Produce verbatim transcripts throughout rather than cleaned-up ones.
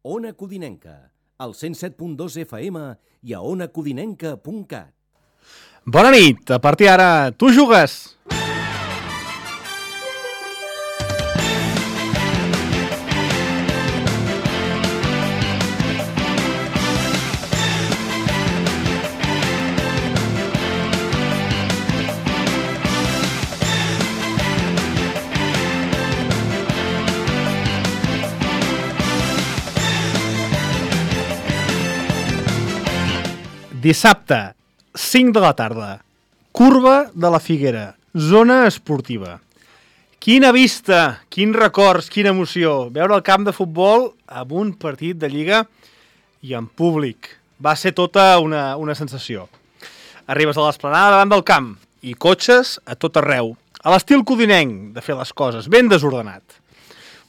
Ona Codinenca, al cent set punt dos F M i a ona codinenca punt cat. Bona nit, a partir d'ara tu jugues! Dissabte, cinc de la tarda, Curva de la Figuera, zona esportiva. Quina vista, quins records, quina emoció. Veure el camp de futbol amb un partit de Lliga i en públic. Va ser tota una, una sensació. Arribes a l'esplanada davant del camp i cotxes a tot arreu. A l'estil codinenc de fer les coses, ben desordenat.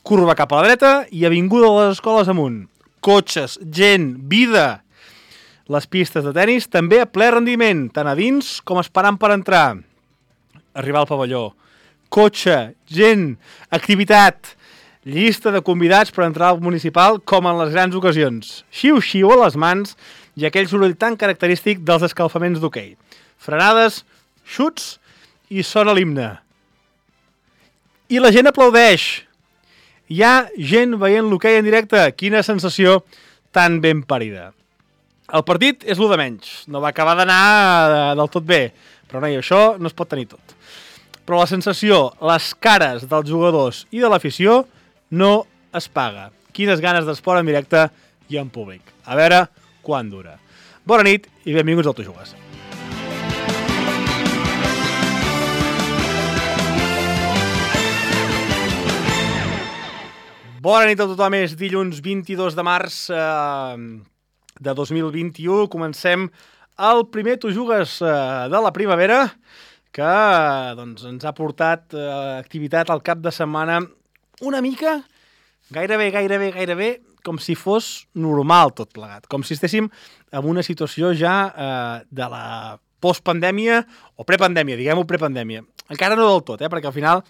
Curva cap a la dreta i avinguda de les escoles amunt. Cotxes, gent, vida. Les pistes de tenis també a ple rendiment, tant a dins com esperant per entrar. Arribar al pavelló. Cotxe, gent, activitat, llista de convidats per entrar al municipal com en les grans ocasions. Xiu-xiu a les mans i aquell soroll tan característic dels escalfaments d'hoquei. Frenades, xuts i sona l'himne. I la gent aplaudeix. Hi ha gent veient l'hoquei en directe. Quina sensació tan ben parida. El partit és l'u de menys, no va acabar d'anar del tot bé, però no, i això no es pot tenir tot. Però la sensació, les cares dels jugadors i de l'afició no es paga. Quines ganes d'esport en directe i en públic. A veure quan dura. Bona nit i benvinguts al Tu Jugues. Bona nit a tothom, és dilluns vint-i-dos de març... Eh... de dos mil vint-i-u, comencem el primer Tu Jugues eh, de la primavera, que doncs, ens ha portat eh, activitat al cap de setmana una mica, gairebé, gairebé, gairebé, com si fos normal tot plegat, com si estéssim en una situació ja eh, de la postpandèmia o prepandèmia, diguem-ho prepandèmia. Encara no del tot, eh, perquè al final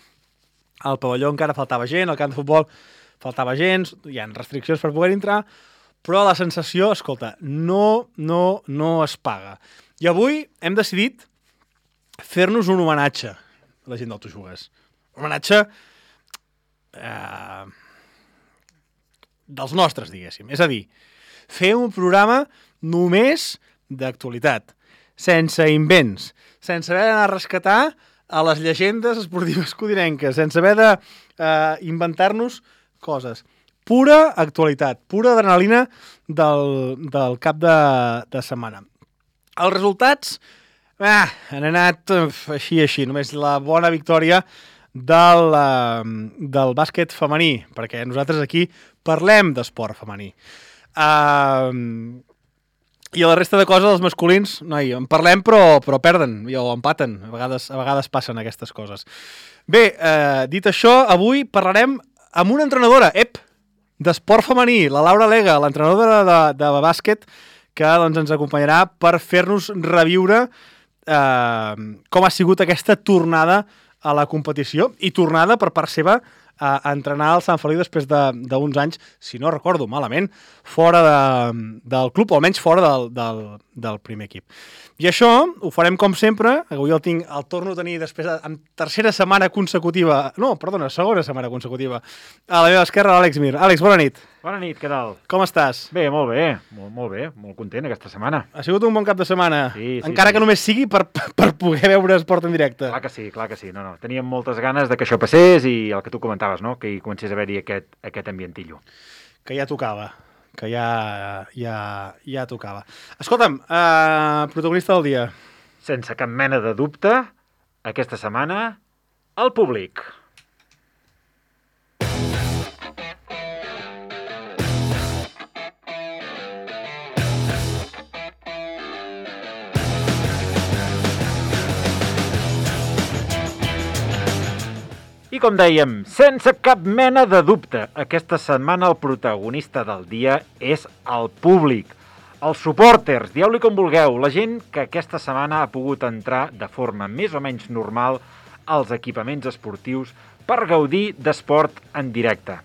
al pavelló encara faltava gent, al camp de futbol faltava gent, hi ha restriccions per poder entrar, però la sensació, escolta, no, no, no es paga. I avui hem decidit fer-nos un homenatge a la gent del Tu Jugues. Un homenatge eh, dels nostres, diguéssim. És a dir, fer un programa només d'actualitat, sense invents, sense haver d'anar a rescatar a les llegendes esportives codinenques, sense haver d'inventar-nos eh, coses. Pura actualitat, pura adrenalina del, del cap de, de setmana. Els resultats ah, han anat uf, així, així, només la bona victòria del, uh, del bàsquet femení, perquè nosaltres aquí parlem d'esport femení. Uh, I a la resta de coses, els masculins, noi, en parlem però, però perden, o empaten, a vegades, a vegades passen aquestes coses. Bé, uh, dit això, avui parlarem amb una entrenadora, ep, d'esport femení, la Laura Lega, l'entrenadora de, de, de bàsquet, que doncs, ens acompanyarà per fer-nos reviure eh, com ha sigut aquesta tornada a la competició i tornada per part seva a, a entrenar al Sant Feliu després d'uns de, anys, si no recordo malament, fora de, del club, o almenys fora del, del, del primer equip. I això ho farem com sempre, avui el, tinc, el torno a tenir després, de, en tercera setmana consecutiva, no, perdona, segona setmana consecutiva, a la meva esquerra, l'Àlex Mir. Àlex, bona nit. Bona nit, què tal? Com estàs? Bé, molt bé, molt, molt bé, molt content aquesta setmana. Ha sigut un bon cap de setmana, sí, sí, encara sí. que només sigui per, per poder veure esport en directe. Clar que sí, clar que sí, no, no. Teníem moltes ganes de que això passés i el que tu comentaves, no? Que hi comencés a haver-hi aquest, aquest ambientillo. Que ja tocava. que ja, ja, ja tocava. Escolta'm, eh, protagonista del dia. Sense cap mena de dubte, aquesta setmana, el públic. I com dèiem, sense cap mena de dubte, aquesta setmana el protagonista del dia és el públic. Els supporters, dieu-li com vulgueu, la gent que aquesta setmana ha pogut entrar de forma més o menys normal als equipaments esportius per gaudir d'esport en directe.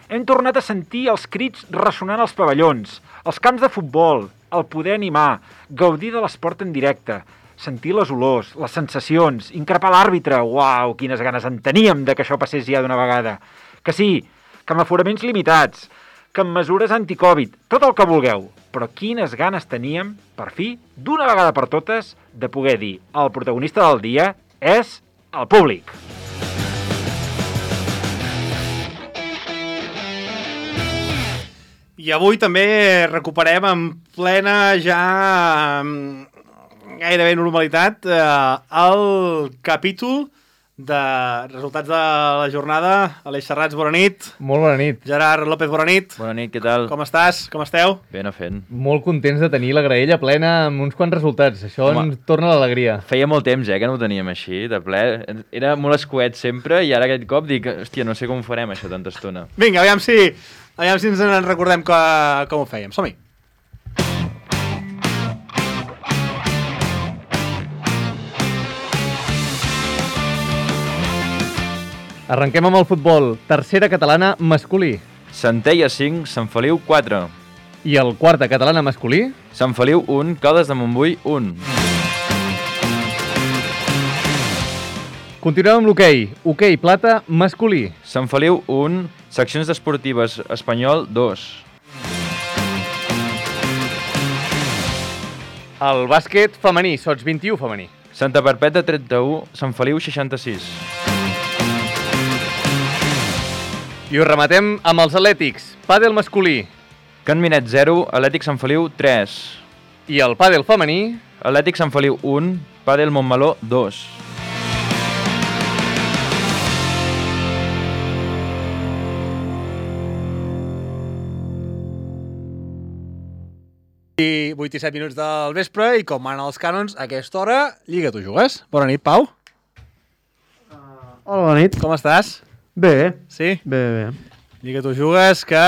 Hem tornat a sentir els crits ressonant als pavellons, els camps de futbol, el poder animar, gaudir de l'esport en directe, sentir les olors, les sensacions, increpar l'àrbitre. Uau, quines ganes en teníem de que això passés ja d'una vegada. Que sí, que amb aforaments limitats, que amb mesures anticovid, tot el que vulgueu. Però quines ganes teníem, per fi, d'una vegada per totes, de poder dir el protagonista del dia és el públic. I avui també recuperem en plena ja gairebé normalitat el capítol de resultats de la jornada. Aleix Serrats, bona nit. Molt bona nit. Gerard López, bona nit. Bona nit, què tal? Com estàs? Com esteu? Ben a fent. Molt contents de tenir la graella plena amb uns quants resultats. Això Home, ens torna l'alegria. Feia molt temps, eh, que no ho teníem així, de ple. Era molt escuet sempre i ara aquest cop dic, hòstia, no sé com ho farem això tanta estona. Vinga, aviam si, aviam si ens en recordem que, com ho fèiem. Som-hi. Arrenquem amb el futbol. Tercera catalana masculí. Centella cinc, Sant Feliu quatre. I el quarta catalana masculí? Sant Feliu un, Caldes de Montbui un. Continuem amb l'hoquei. Hoquei plata masculí. Sant Feliu un, Seccions Esportives Espanyol dos. El bàsquet femení, sots vint-i-u femení. Santa Perpètua trenta-u, Sant Feliu seixanta-sis. I ho rematem amb els atlètics. Pàdel masculí. Can Minet zero, Atlètic Sant Feliu tres. I el pàdel femení? Atlètic Sant Feliu un, Pàdel Montmeló dos. I vuit i set minuts del vespre i com manen els cànons, a aquesta hora, Lliga, tu jugues. Bona nit, Pau. Hola, bona nit. Com estàs? Bé, Sí? bé, bé. Lliga, tu jugues, que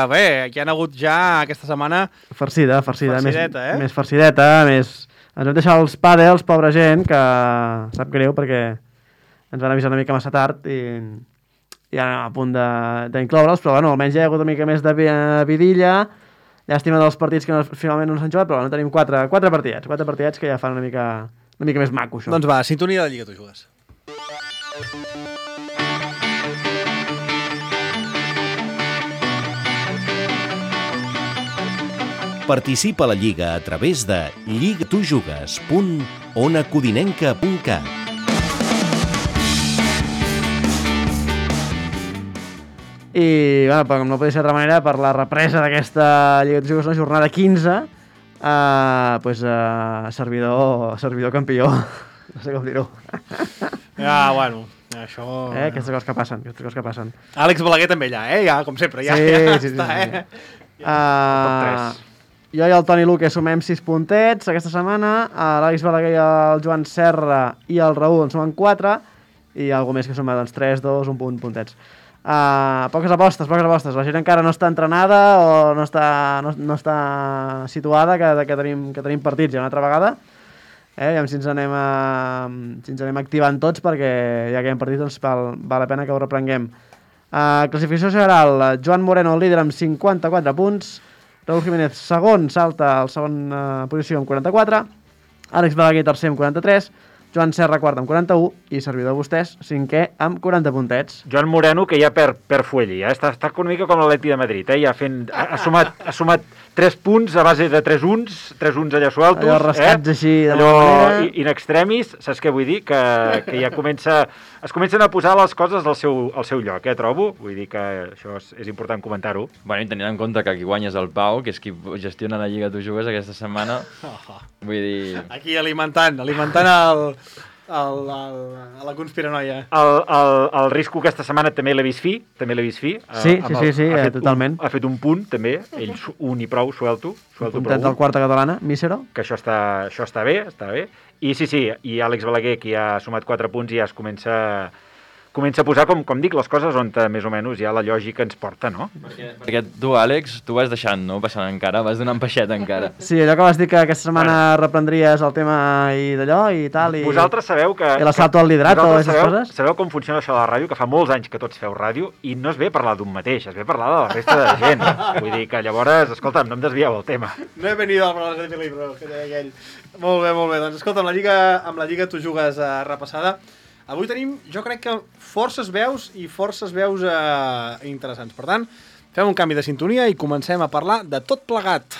bé, hi han hagut ja aquesta setmana... Farcida, farcida. Farcideta, més, eh? Més farcideta, més... Ens vam deixar els pàdels, pobra gent, que sap greu perquè ens van avisar una mica massa tard i, i ja anem a punt d'incloure'ls, però bueno, almenys hi ha hagut una mica més de vidilla. Llàstima dels partits que no, finalment no s'han jugat, però bueno, tenim quatre, quatre partidets, quatre partidets que ja fan una mica, una mica més maco, això. Doncs va, sintonia de Lliga, tu jugues. Participa a la Lliga a través de lligatujugues punt ona codinenca punt cat. I, bueno, com no podia ser d'altra manera, per la represa d'aquesta Lliga de Jugues, una jornada quinze, eh, pues, eh, servidor, servidor campió, no sé com dir-ho. Ja, bueno, això... Eh, aquestes coses que passen, aquestes coses que passen. Àlex Balaguer també allà, eh? Ja, com sempre, ja, Sí, ja sí, sí, està, sí, sí. eh? Uh, jo i el Toni Luque sumem sis puntets aquesta setmana, uh, l'Àlex Balaguer i el Joan Serra i el Raül en sumen quatre, i algú més que suma doncs, tres, dos, un punt, puntets. Uh, poques apostes, poques apostes. La gent encara no està entrenada o no està, no, no està situada que, que, tenim, que tenim partits ja una altra vegada. Eh, si ens anem, a, si ens anem activant tots perquè ja que hi ha partits doncs val, val la pena que ho reprenguem. Uh, classificació general, Joan Moreno el líder amb cinquanta-quatre punts, Raúl Jiménez segon, salta al segon uh, posició amb quaranta-quatre, Àlex Balaguer tercer amb quaranta-tres, Joan Serra quart amb quaranta-u i servidor vostès cinquè amb quaranta puntets. Joan Moreno, que ja per, per Fuelli, eh? està, està una mica com l'Atleti de Madrid, eh? ja fent, ha, ha, sumat, ha sumat tres punts a base de tres uns, tres uns allà sueltos. Allò rascats eh? així de allò manera. in extremis, saps què vull dir? Que, que ja comença, es comencen a posar les coses al seu, al seu lloc, eh, trobo. Vull dir que això és, és important comentar-ho. Bueno, i tenint en compte que qui guanya és el Pau, que és qui gestiona la Lliga Tu Jugues aquesta setmana, vull dir... Aquí alimentant, alimentant el... El, el, a la conspiranoia. El, el, el Risco aquesta setmana també l'he vist fi, també l'he vist fi. Sí, sí, sí, sí, ha eh, totalment. Un, ha fet un punt, també, ell un i prou, suelto. suelto Puntet del quarta catalana, Mísero. Que això està, això està bé, està bé. I sí, sí, i Àlex Balaguer, que ja ha sumat quatre punts i ja es comença comença a posar, com, com dic, les coses on més o menys ja la lògica ens porta, no? Perquè, perquè tu, Àlex, tu vas deixant, no? Passant encara, vas donant peixet encara. Sí, allò que vas dir que aquesta setmana bueno. reprendries el tema i d'allò i tal. I... Vosaltres sabeu que... I l'assalto al liderato, aquestes sabeu, coses? Sabeu com funciona això de la ràdio? Que fa molts anys que tots feu ràdio i no es ve a parlar d'un mateix, es ve a parlar de la resta de gent. Vull dir que llavors, escolta'm, no em desvieu el tema. No he venido a hablar de libros, que deia aquell. Molt bé, molt bé. Doncs escolta, amb la Lliga, amb la Lliga tu jugues uh, repassada. Avui tenim, jo crec que forces veus i forces veus uh, interessants. Per tant, fem un canvi de sintonia i comencem a parlar de tot plegat.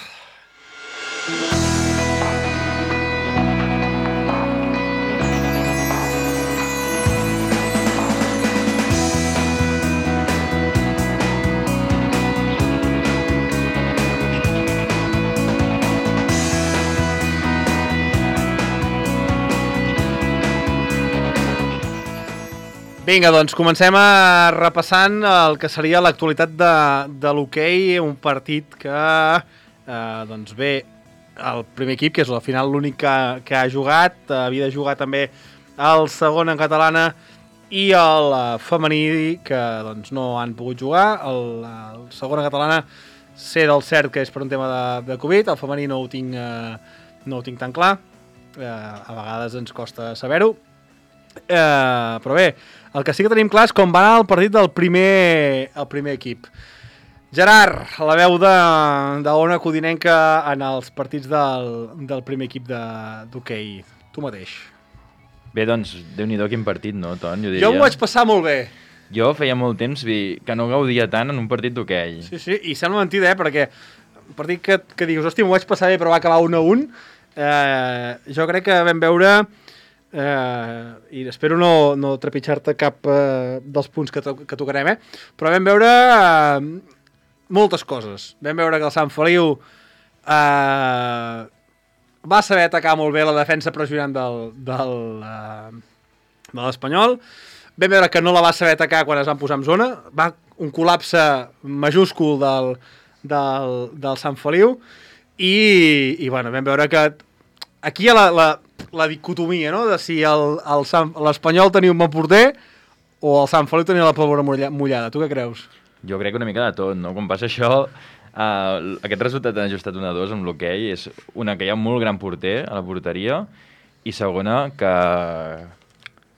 Vinga, doncs comencem a repassant el que seria l'actualitat de, de l'hoquei, un partit que eh, doncs bé, el primer equip, que és al final l'únic que, que ha jugat, eh, havia de jugar també el segon en catalana i el eh, femení, que doncs no han pogut jugar. El, el segon en catalana sé del cert que és per un tema de, de Covid, el femení no ho tinc, eh, no ho tinc tan clar, eh, a vegades ens costa saber-ho, eh, però bé, el que sí que tenim clar és com va anar el partit del primer, el primer equip. Gerard, la veu de, de Ona Codinenca en els partits del, del primer equip d'hoquei. Tu mateix. Bé, doncs, Déu-n'hi-do quin partit, no, Ton? Jo, diria. Jo m'ho vaig passar molt bé. Jo feia molt temps que no gaudia tant en un partit d'hoquei. Sí, sí, i sembla mentida, eh, perquè un partit que, que digues, hòstia, m'ho vaig passar bé, però va acabar un a un, eh, jo crec que vam veure... Uh, i espero no, no trepitjar-te cap uh, dels punts que, to que tocarem, eh? Però vam veure uh, moltes coses. Vam veure que el Sant Feliu uh, va saber atacar molt bé la defensa pressionant del, del, uh, de l'Espanyol. Vam veure que no la va saber atacar quan es van posar en zona. Va un col·lapse majúscul del, del, del Sant Feliu i, i bueno, vam veure que aquí hi ha la, la, la dicotomia, no?, de si l'Espanyol tenia un bon porter o el Sant Feliu tenia la pólvora mullada. Tu què creus? Jo crec una mica de tot, no? Com passa això, uh, aquest resultat han ajustat un a dos amb l'hoquei és una que hi ha un molt gran porter a la porteria i segona que,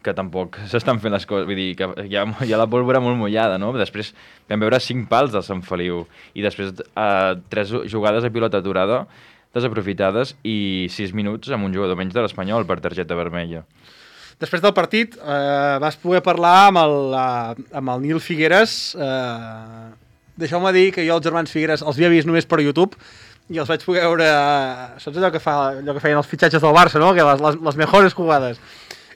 que tampoc s'estan fent les coses, vull dir que hi ha, hi ha la pólvora molt mullada, no? Després vam veure cinc pals del Sant Feliu i després uh, tres jugades a pilota aturada desaprofitades i sis minuts amb un jugador menys de l'Espanyol per targeta vermella. Després del partit eh, vas poder parlar amb el, uh, amb el Nil Figueres. Eh, Deixeu-me dir que jo els germans Figueres els havia vist només per YouTube i els vaig poder veure... Uh, saps allò que, fa, allò que feien els fitxatges del Barça, no? Que les, les, les mejores jugades.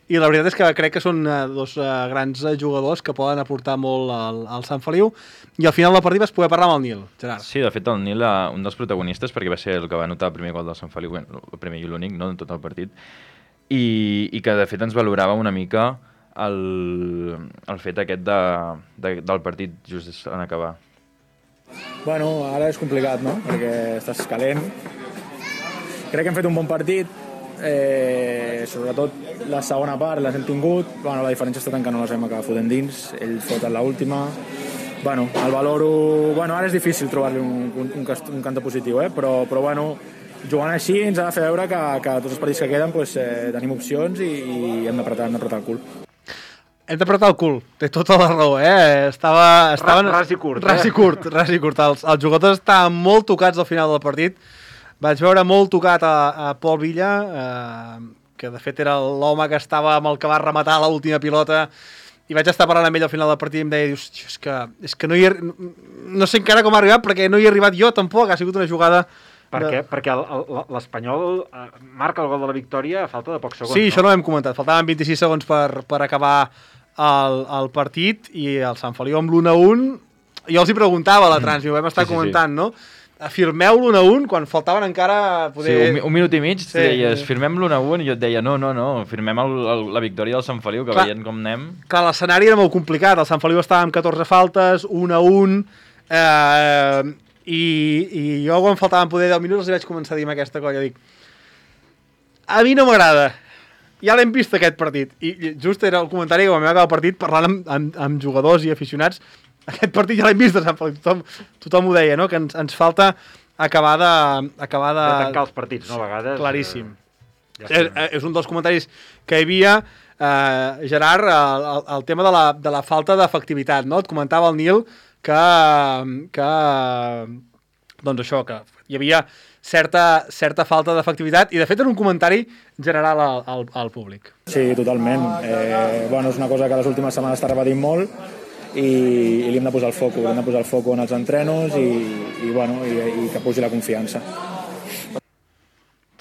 I la veritat és que crec que són uh, dos uh, grans uh, jugadors que poden aportar molt al, al Sant Feliu i al final del partit vas poder parlar amb el Nil, Gerard. Sí, de fet el Nil, uh, un dels protagonistes, perquè va ser el que va anotar el primer gol del Sant Feliu, bueno, el primer i l'únic, no?, en tot el partit, i, i que de fet ens valorava una mica el, el fet aquest de, de, del partit just en acabar. Bueno, ara és complicat, no?, perquè estàs calent. Crec que hem fet un bon partit. Eh, sobretot la segona part les hem tingut, bueno, la diferència està tant que no les hem acabat fotent dins, ell fot en l'última, bueno, el valoro, bueno, ara és difícil trobar-li un, un, un, un canta positiu, eh? però, però bueno, jugant així ens ha de fer veure que, que tots els partits que queden pues, eh, tenim opcions i, i hem d'apretar hem d'apretar el cul. Hem d'apretar el cul, té tota la raó, eh? Estava, estaven... Ras i curt. Ras i curt, eh? ras i curt. Els, els jugadors estaven molt tocats al final del partit. Vaig veure molt tocat a, a Pol Villa, eh, que de fet era l'home que estava amb el que va rematar l'última pilota, i vaig estar parlant amb ell al final del partit i em deia, dius, és que, és que no hi he... No sé encara com ha arribat, perquè no hi he arribat jo tampoc, ha sigut una jugada... Per de... què? Perquè l'Espanyol eh, marca el gol de la victòria a falta de pocs segons. Sí, no? això no ho hem comentat, faltaven vint-i-sis segons per, per acabar el, el partit, i el Sant Feliu amb l'u a un, jo els hi preguntava a la trans, i ho vam estar sí, sí, comentant, sí. no? Firmeu l'u a un quan faltaven encara... Poder... Sí, un, un minut i mig, sí, tu deies, sí. firmem l'u a un, i jo et deia, no, no, no, firmem el, el, la victòria del Sant Feliu, que clar, veient com anem... Clar, l'escenari era molt complicat, el Sant Feliu estava amb catorze faltes, un a un, eh, i, i jo quan faltaven poder deu minuts els vaig començar a dir amb aquesta colla, dic, a mi no m'agrada, ja l'hem vist aquest partit. I just era el comentari que vam acabar el partit parlant amb, amb, amb jugadors i aficionats. Aquest partit ja l'hem vist de Sant Feliu. Tothom, tothom ho deia, no? Que ens, ens falta acabar de... Acabar de... de tancar els partits, no? A vegades... Claríssim. Eh, ja és, és un dels comentaris que hi havia, eh, Gerard, el, el, el tema de la, de la falta d'efectivitat, no? Et comentava el Nil que, que doncs això, que hi havia certa, certa falta d'efectivitat i de fet era un comentari general al, al, al públic. Sí, totalment. Eh, bueno, és una cosa que les últimes setmanes està repetint molt i, i li hem de posar el foco, li hem de posar el foco en els entrenos i, i, bueno, i, i que pugi la confiança.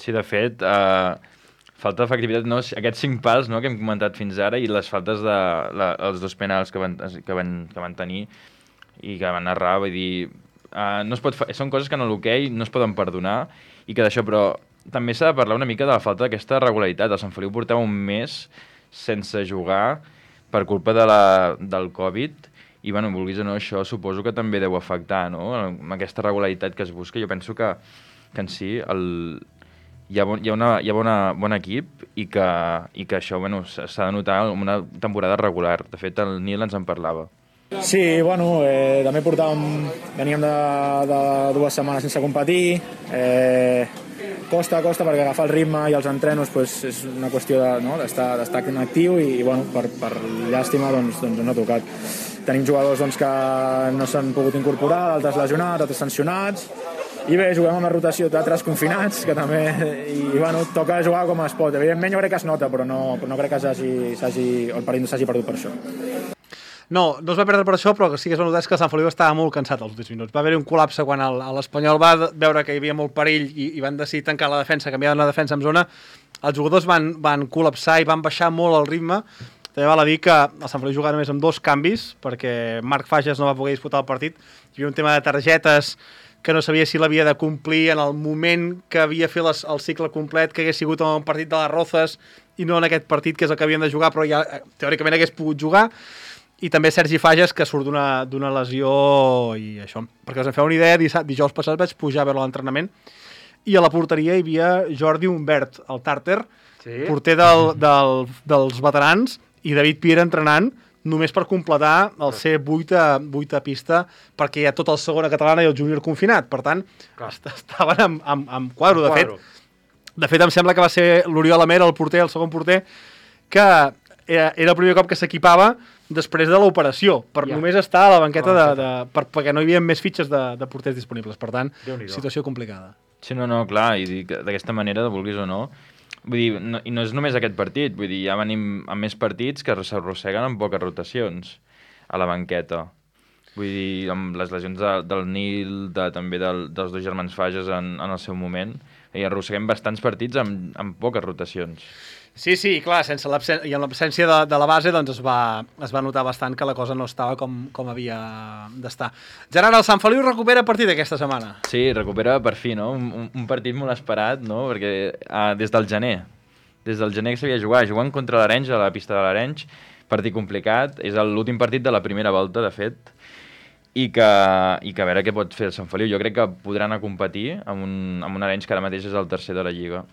Sí, de fet, eh, falta d'efectivitat, no? Aquests cinc pals, no?, que hem comentat fins ara i les faltes de la, els dos penals que van, que van, que van tenir i que van errar, vull dir... Uh, no es pot fa... Són coses que en l'hoquei no es poden perdonar i que d'això, però també s'ha de parlar una mica de la falta d'aquesta regularitat. El Sant Feliu portava un mes sense jugar per culpa de la, del Covid i, bueno, vulguis o no, això suposo que també deu afectar, no?, amb aquesta regularitat que es busca. Jo penso que, que en si el... hi ha, bon, hi ha, una, hi ha bona, bon equip i que, i que això, bueno, s'ha de notar en una temporada regular. De fet, el Nil ens en parlava. Sí, bueno, eh, també portàvem, veníem de, de dues setmanes sense competir, eh, costa, costa perquè agafar el ritme i els entrenos pues, és una qüestió de, no, d'estar, d'estar actiu i, i bueno, per, per llàstima doncs, doncs no ha tocat. Tenim jugadors doncs, que no s'han pogut incorporar, altres lesionats, altres sancionats, i bé, juguem amb la rotació d'altres confinats, que també, i bueno, toca jugar com es pot. Evidentment jo crec que es nota, però no, però no crec que s'hagi, s'hagi, el partit no s'hagi perdut per això. No, no es va perdre per això, però que sí que es va notar que el Sant Feliu estava molt cansat als últims minuts. Va haver-hi un col·lapse quan l'Espanyol va veure que hi havia molt perill i, i van decidir tancar la defensa, canviar la defensa en zona. Els jugadors van, van col·lapsar i van baixar molt el ritme. També val a dir que el Sant Feliu jugava només amb dos canvis, perquè Marc Fages no va poder disputar el partit. Hi havia un tema de targetes que no sabia si l'havia de complir en el moment que havia fet les, el cicle complet, que hagués sigut en un partit de les Rozas i no en aquest partit, que és el que havien de jugar, però ja teòricament hagués pogut jugar. I també Sergi Fages, que surt d'una d'una lesió i això. Perquè us en feu una idea, dijous passat vaig pujar a veure l'entrenament i a la porteria hi havia Jordi Humbert, el tàrter, sí, porter del, del, dels veterans, i David Piera entrenant només per completar el C vuit a, vuit a pista, perquè hi ha tot el segona catalana i el júnior confinat. Per tant, clar, estaven amb, amb, amb quadro. De fet, de fet, em sembla que va ser l'Oriol Amer, el porter, el segon porter, que era, era el primer cop que s'equipava després de l'operació, per ja. només estar a la banqueta, de, de, per, perquè no hi havia més fitxes de, de porters disponibles. Per tant, situació complicada. Sí, no, no, clar, i d'aquesta manera, vulguis o no, vull dir, no, i no és només aquest partit, vull dir, ja venim amb més partits que s'arrosseguen amb poques rotacions a la banqueta. Vull dir, amb les lesions de, del Nil, de, també del, dels dos germans Fages en, en el seu moment, i arrosseguem bastants partits amb, amb poques rotacions. Sí, sí, clar, sense i amb l'absència de, de la base doncs es va, es va notar bastant que la cosa no estava com, com havia d'estar. Gerard, el Sant Feliu recupera partit aquesta setmana. Sí, recupera per fi, no? Un, un partit molt esperat, no? Perquè uh, des del gener, des del gener que s'havia jugat, jugant contra l'Arenys, a la pista de l'Arenys, partit complicat, és l'últim partit de la primera volta, de fet, i que, i que a veure què pot fer el Sant Feliu. Jo crec que podran a competir amb un, amb un Arenys que ara mateix és el tercer de la Lliga.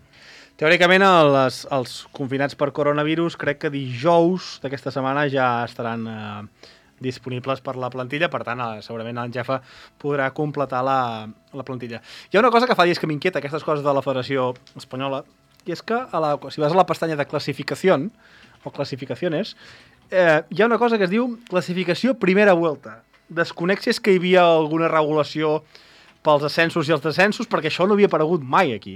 Teòricament, les, els confinats per coronavirus crec que dijous d'aquesta setmana ja estaran eh, disponibles per la plantilla, per tant, eh, segurament el Jefa podrà completar la, la plantilla. Hi ha una cosa que fa dies que m'inquieta, aquestes coses de la Federació Espanyola, i és que a la, si vas a la pestanya de classificació o classificaciones, eh, hi ha una cosa que es diu classificació primera vuelta. Desconec si és que hi havia alguna regulació pels ascensos i els descensos, perquè això no havia aparegut mai aquí.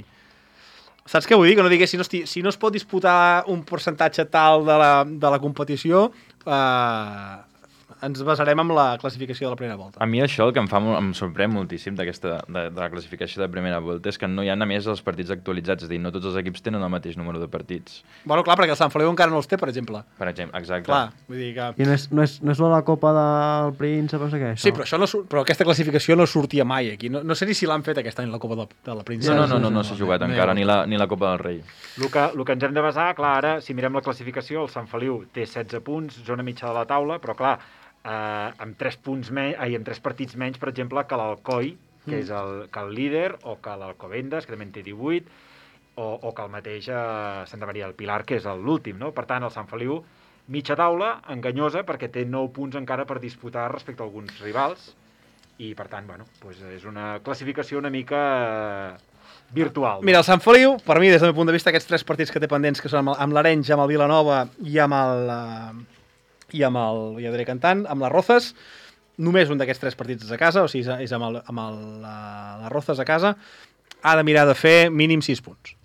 Saps què vull dir? Que no digués, si no, esti, si no es pot disputar un percentatge tal de la, de la competició, eh, ens basarem en la classificació de la primera volta. A mi això el que em fa em sorprèn moltíssim d'aquesta de, de la classificació de primera volta és que no hi ha només els partits actualitzats, és a dir, no tots els equips tenen el mateix número de partits. Bueno, clar, perquè el Sant Feliu encara no els té, per exemple. Per exemple, exacte. Clar, vull dir que... I no és, no és, no és la Copa del Príncep, no sé què, això? Sí, però, això no, però aquesta classificació no sortia mai aquí. No, no sé ni si l'han fet aquest any, la Copa de, de la Príncep. No, no, no, no, no, no s'ha jugat no, encara, no. ni, la, ni la Copa del Rei. El que, el que ens hem de basar, clar, ara, si mirem la classificació, el Sant Feliu té setze punts, zona mitja de la taula, però clar, Uh, amb tres punts menys, ai, amb tres partits menys, per exemple, que l'Alcoi, que mm. és el, que el líder, o que l'Alcobendas, que també en té divuit, o, o que el mateix eh, Santa Maria del Pilar, que és l'últim, no? Per tant, el Sant Feliu, mitja taula, enganyosa, perquè té nou punts encara per disputar respecte a alguns rivals, i per tant, bueno, doncs és una classificació una mica eh, virtual. Mira, el Sant Feliu, per mi, des del meu punt de vista, aquests tres partits que té pendents, que són amb, amb l'Arenys, amb el Vilanova i amb el... Uh, i amb el, ja diré cantant, amb les Rozas, només un d'aquests tres partits és a casa, o sigui, és amb, el, amb el, la, les Rozas a casa, ha de mirar de fer mínim sis punts.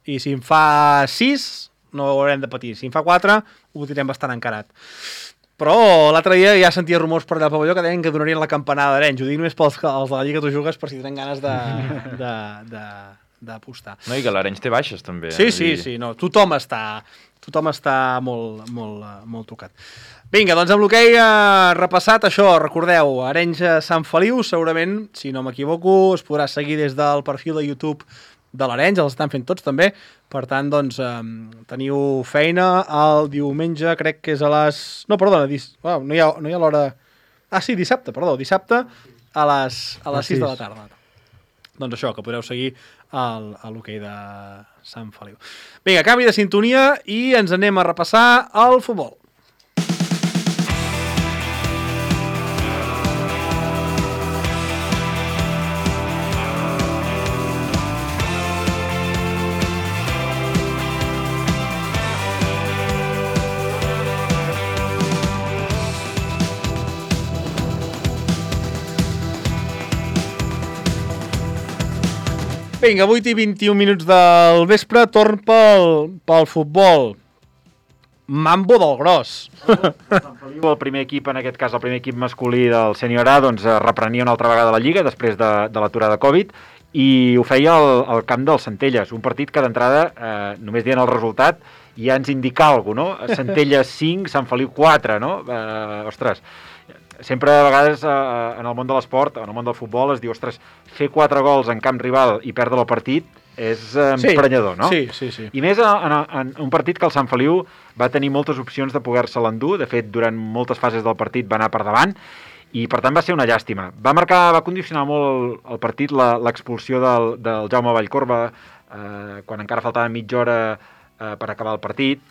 I si en fa sis, no ho haurem de patir. Si en fa quatre, ho tindrem bastant encarat. Però l'altre dia ja sentia rumors per allà al pavelló que deien que donarien la campanada d'Arenys. Ho dic només pels els de la Lliga Tu Jugues, per si tenen ganes de... de, de d'apostar. No, i que l'Arenys té baixes, també. Sí, sí, sí, no. Tothom està, tothom està molt, molt, molt tocat. Vinga, doncs amb l'hoquei eh, repassat, això, recordeu, Arenys Sant Feliu, segurament, si no m'equivoco, es podrà seguir des del perfil de YouTube de l'Arenys, els estan fent tots també, per tant, doncs, eh, teniu feina el diumenge, crec que és a les... No, perdona, dis... oh, no hi ha, no hi ha l'hora... Ah, sí, dissabte, perdó, dissabte a les, a les sis de la tarda. Doncs això, que podreu seguir el, a l'hoquei de Sant Feliu. Vinga, canvi de sintonia i ens anem a repassar el futbol. Vinga, vuit i vint-i-un minuts del vespre, torn pel, pel futbol. Mambo del gros. El primer equip, en aquest cas el primer equip masculí del Sènior A, doncs reprenia una altra vegada la Lliga després de, de l'aturada Covid i ho feia al, al camp del Centelles, un partit que d'entrada, eh, només dient el resultat, ja ens indica alguna cosa, no? Centelles cinc, Sant Feliu quatre, no? Eh, ostres, sempre a vegades eh, en el món de l'esport, en el món del futbol, es diu, ostres, fer quatre gols en camp rival i perdre el partit és eh, sí, emprenyador, no? Sí, sí, sí. I més en, en, en un partit que el Sant Feliu va tenir moltes opcions de poder-se l'endur, de fet, durant moltes fases del partit va anar per davant, i per tant va ser una llàstima. Va marcar, va condicionar molt el, el partit l'expulsió del, del Jaume Vallcorba, eh, quan encara faltava mitja hora eh, per acabar el partit,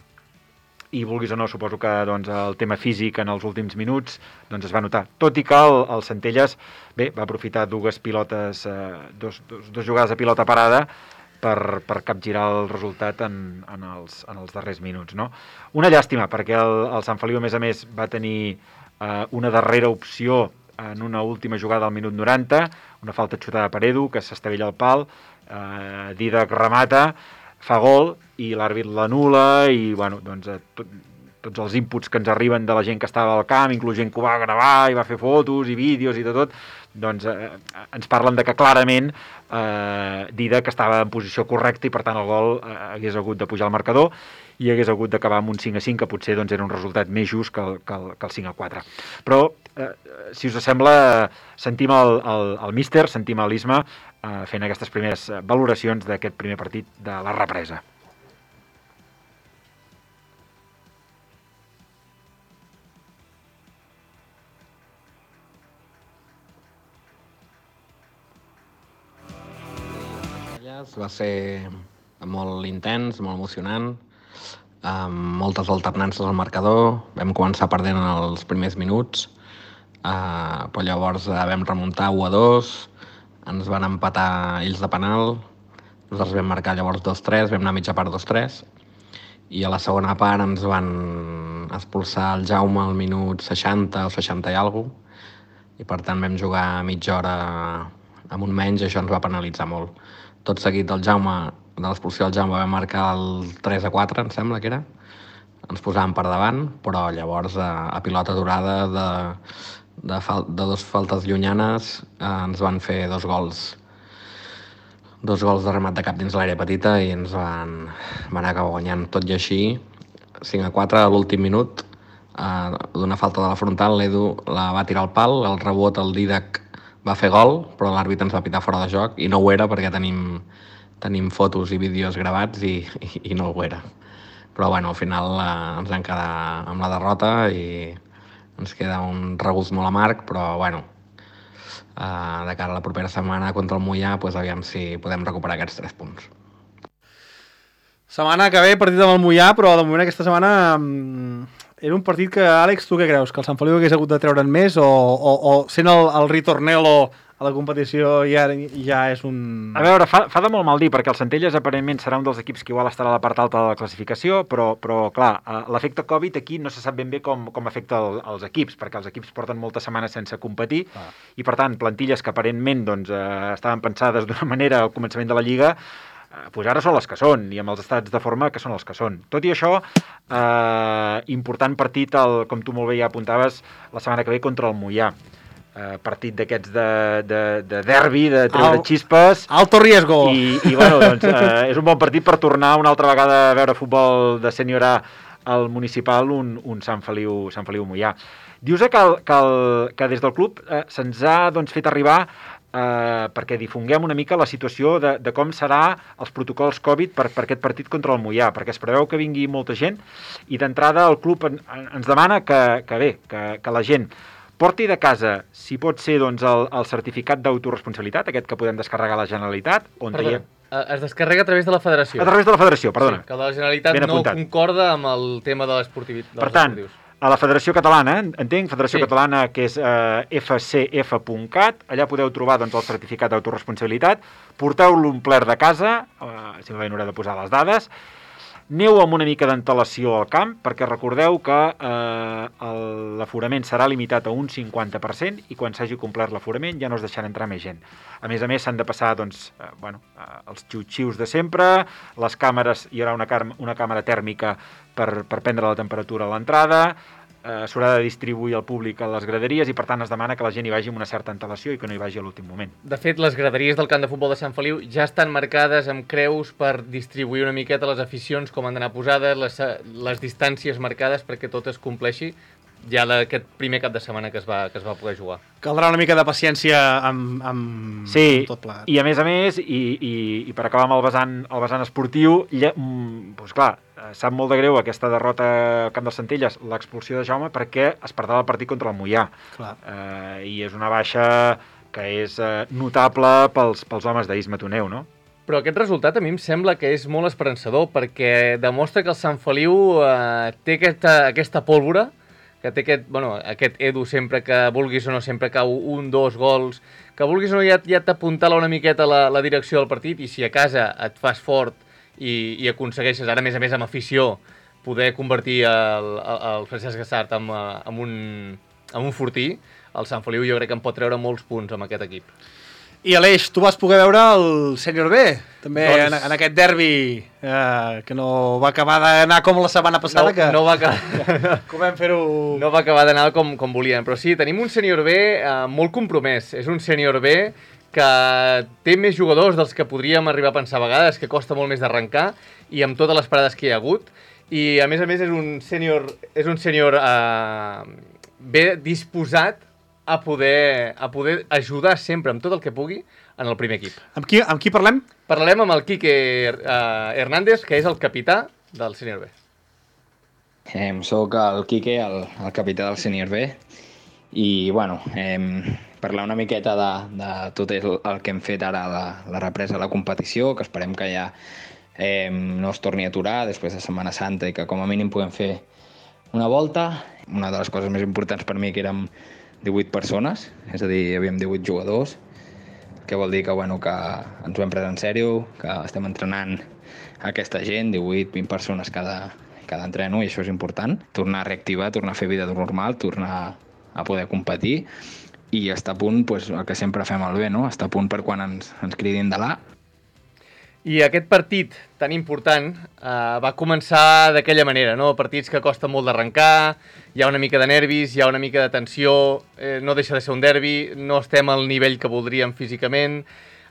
i vulguis o no, suposo que doncs, el tema físic en els últims minuts doncs, es va notar. Tot i que el, el Centelles bé, va aprofitar dues pilotes, eh, dos, dos, dos jugades de pilota parada per, per capgirar el resultat en, en, els, en els darrers minuts. No? Una llàstima, perquè el, el Sant Feliu, a més a més, va tenir eh, una darrera opció en una última jugada al minut noranta, una falta xutada per Edu, que s'estavella al pal, eh, Didac remata, fa gol i l'àrbit l'anul·la i bueno, doncs, tot, tots els inputs que ens arriben de la gent que estava al camp, inclús gent que ho va gravar i va fer fotos i vídeos i de tot, doncs eh, ens parlen de que clarament eh, Didac estava en posició correcta i per tant el gol eh, hagués hagut de pujar al marcador i hagués hagut d'acabar amb un cinc a cinc, que potser doncs, era un resultat més just que el, que el, que el cinc a quatre. Però, eh, si us sembla, sentim el, el, el míster, sentim l'Isma eh, fent aquestes primeres valoracions d'aquest primer partit de la represa. Va ser molt intens, molt emocionant, amb moltes alternances al marcador. Vam començar perdent en els primers minuts, eh, però llavors eh, vam remuntar u a dos, ens van empatar ells de penal, nosaltres vam marcar llavors dos tres, vam anar a mitja part dos tres, i a la segona part ens van expulsar el Jaume al minut seixanta o seixanta i alguna cosa, i per tant vam jugar mitja hora amb un menys i això ens va penalitzar molt. Tot seguit del Jaume, de l'expulsió del Jaume, vam marcar el tres a quatre, em sembla que era. Ens posàvem per davant, però llavors a, a pilota durada de, de, fal, de dos faltes llunyanes eh, ens van fer dos gols dos gols de remat de cap dins l'àrea petita i ens van, van acabar guanyant. Tot i així, cinc a quatre a l'últim minut, eh, d'una falta de la frontal, l'Edu la va tirar al pal, el rebot el Didac va fer gol, però l'àrbit ens va pitar fora de joc i no ho era perquè tenim, tenim fotos i vídeos gravats i, i, i no ho era. Però bueno, al final eh, ens vam quedar amb la derrota i ens queda un regust molt amarg, però bueno, eh, de cara a la propera setmana contra el Moià, pues, aviam si podem recuperar aquests tres punts. Setmana que ve, partit amb el Moià, però de moment aquesta setmana mm, era un partit que, Àlex, tu què creus? Que el Sant Feliu hagués hagut de treure'n més o, o, o sent el, el ritornelo a la competició ja, ja és un... A veure, fa, fa de molt mal dir, perquè el Centelles aparentment serà un dels equips que igual estarà a la part alta de la classificació, però, però clar, l'efecte Covid aquí no se sap ben bé com, com afecta el, els equips, perquè els equips porten moltes setmanes sense competir, ah. i per tant, plantilles que aparentment doncs, eh, estaven pensades d'una manera al començament de la Lliga, pues ara són les que són, i amb els estats de forma que són els que són. Tot i això, eh, important partit, el, com tu molt bé ja apuntaves, la setmana que ve contra el Moià. Eh, partit d'aquests de, de, de derbi, de treure Al, xispes. Alto riesgo. I, i bueno, doncs, eh, és un bon partit per tornar una altra vegada a veure futbol de Sènior A al municipal, un, un Sant Feliu, Sant Feliu Moià. Dius que, el, que, el, que des del club eh, se'ns ha doncs, fet arribar Uh, perquè difonguem una mica la situació de, de com serà els protocols Covid per, per aquest partit contra el Moià, perquè es preveu que vingui molta gent i d'entrada el club en, en, ens demana que, que bé, que, que la gent porti de casa, si pot ser, doncs, el, el certificat d'autoresponsabilitat, aquest que podem descarregar a la Generalitat, on Perdona, traiem... es descarrega a través de la Federació. A través de la Federació, perdona. Sí, que la Generalitat no concorda amb el tema de l'esportivitat. Per tant, a la Federació Catalana, entenc, Federació sí. Catalana, que és eh, f c f punt cat, allà podeu trobar doncs, el certificat d'autoresponsabilitat, porteu-lo omplert de casa, eh, simplement haureu de posar les dades, aneu amb una mica d'antelació al camp, perquè recordeu que eh, l'aforament serà limitat a un cinquanta per cent i quan s'hagi complert l'aforament ja no es deixarà entrar més gent. A més a més, s'han de passar doncs, eh, bueno, eh, els xiu-xius de sempre, les càmeres, hi haurà una, una càmera tèrmica per, per prendre la temperatura a l'entrada, eh, s'haurà de distribuir al públic a les graderies i per tant es demana que la gent hi vagi amb una certa antelació i que no hi vagi a l'últim moment. De fet, les graderies del camp de futbol de Sant Feliu ja estan marcades amb creus per distribuir una miqueta les aficions, com han d'anar posades, les, les distàncies marcades perquè tot es compleixi ja aquest primer cap de setmana que es va, que es va poder jugar. Caldrà una mica de paciència amb, amb, sí, amb tot plegat. I a més a més, i, i, i per acabar amb el vessant, el vessant esportiu, lle, mm, doncs clar, sap molt de greu aquesta derrota al camp del Centelles, l'expulsió de Jaume, perquè es perdrà el partit contra el Moià. Clar. Eh, I és una baixa que és eh, notable pels, pels homes d'Isma Toneu, no? Però aquest resultat a mi em sembla que és molt esperançador, perquè demostra que el Sant Feliu eh, té aquesta, aquesta pólvora, que té aquest, bueno, aquest Edu sempre que vulguis o no sempre cau un, dos gols, que vulguis o no ja, ja t'apuntala una miqueta la, la direcció del partit i si a casa et fas fort i, i aconsegueixes, ara a més a més amb afició, poder convertir el, el, el Francesc Gassart en, en, un, en un fortí, el Sant Feliu jo crec que en pot treure molts punts amb aquest equip. I Aleix, tu vas poder veure el Sènior B, també doncs... en, en aquest derbi eh, que no va acabar d'anar com la setmana passada, no, que no va acabar... com vam fer-ho... No va acabar d'anar com, com volien, però sí, tenim un Sènior B eh, molt compromès. És un Sènior B que té més jugadors dels que podríem arribar a pensar a vegades, que costa molt més d'arrencar, i amb totes les parades que hi ha hagut. I a més a més és un sènior, és un sènior eh, bé disposat a poder, a poder ajudar sempre amb tot el que pugui en el primer equip. Amb qui, amb qui parlem? Parlem amb el Quique uh, Hernández, que és el capità del Sènior B. Eh, soc el Quique, el, el capità del Sènior B, i bueno, eh, parlar una miqueta de, de tot el, el que hem fet ara, la, la represa de la competició, que esperem que ja eh, no es torni a aturar després de Setmana Santa i que com a mínim puguem fer una volta. Una de les coses més importants per mi que érem divuit persones, és a dir, hi havíem divuit jugadors, que vol dir que, bueno, que ens ho hem pres en sèrio, que estem entrenant aquesta gent, divuit vint persones cada, cada entreno, i això és important. Tornar a reactivar, tornar a fer vida normal, tornar a poder competir i estar a punt, pues, el que sempre fem al bé, no? Estar a punt per quan ens, ens cridin de l'A. I aquest partit tan important eh, va començar d'aquella manera, no? Partits que costa molt d'arrencar, hi ha una mica de nervis, hi ha una mica de tensió, eh, no deixa de ser un derbi, no estem al nivell que voldríem físicament.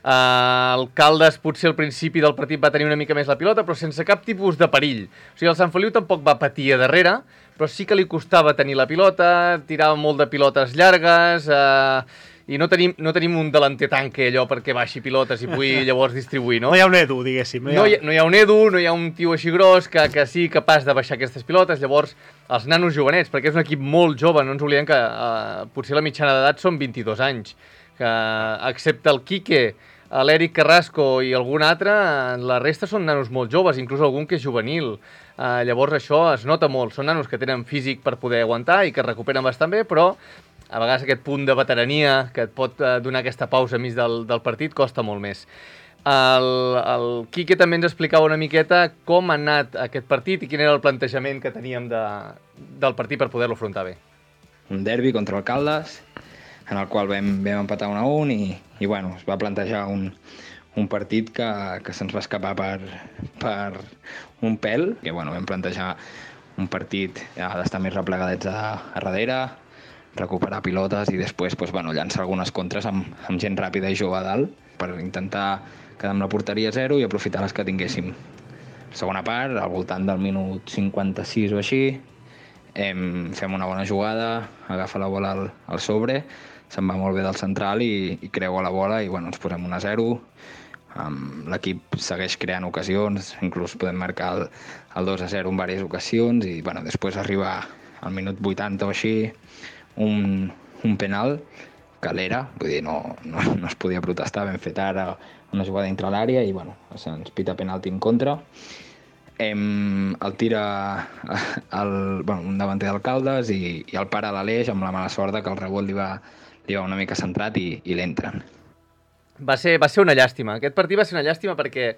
Eh, el Caldes potser al principi del partit va tenir una mica més la pilota, però sense cap tipus de perill. O sigui, el Sant Feliu tampoc va patir a darrere, però sí que li costava tenir la pilota, tirava molt de pilotes llargues... Eh, i no tenim, no tenim un delanter tanque allò perquè baixi pilotes i pugui llavors distribuir, no? No hi ha un Edu, diguéssim. No hi ha, no hi ha, no hi ha un Edu, no hi ha un tio així gros que, que sigui capaç de baixar aquestes pilotes. Llavors, els nanos jovenets, perquè és un equip molt jove, no ens oblidem que eh, potser la mitjana d'edat són vint-i-dos anys, que excepte el Quique, l'Eric Carrasco i algun altre, la resta són nanos molt joves, inclús algun que és juvenil. Uh, llavors això es nota molt. Són nanos que tenen físic per poder aguantar i que es recuperen bastant bé, però a vegades aquest punt de veterania que et pot uh, donar aquesta pausa a mig del, del partit costa molt més. El, el Quique també ens explicava una miqueta com ha anat aquest partit i quin era el plantejament que teníem de, del partit per poder-lo afrontar bé. Un derbi contra el Caldes, en el qual vam, vam empatar un a un i, i bueno, es va plantejar un, un partit que, que se'ns va escapar per, per un pèl, que bueno, vam plantejar un partit ja, d'estar més replegadets a, a darrere, recuperar pilotes i després pues, bueno, llançar algunes contres amb, amb gent ràpida i jove a dalt per intentar quedar amb la porteria a zero i aprofitar les que tinguéssim. Segona part, al voltant del minut cinquanta-sis o així, em, fem una bona jugada, agafa la bola al, al sobre, se'n va molt bé del central i, i creua la bola i bueno, ens posem un a zero. Um, l'equip segueix creant ocasions, inclús podem marcar el, el dos a zero en diverses ocasions i bueno, després arriba al minut vuitanta o així un, un penal que l'era, vull dir, no, no, no es podia protestar, ben fet ara una jugada dintre l'àrea i bueno, se'ns pita penalti en contra. Em, el tira el, bueno, un davanter d'Alcaldes i, i el para a l'Aleix amb la mala sort que el rebot li va, li va una mica centrat i, i l'entren. Va ser, va ser una llàstima. Aquest partit va ser una llàstima perquè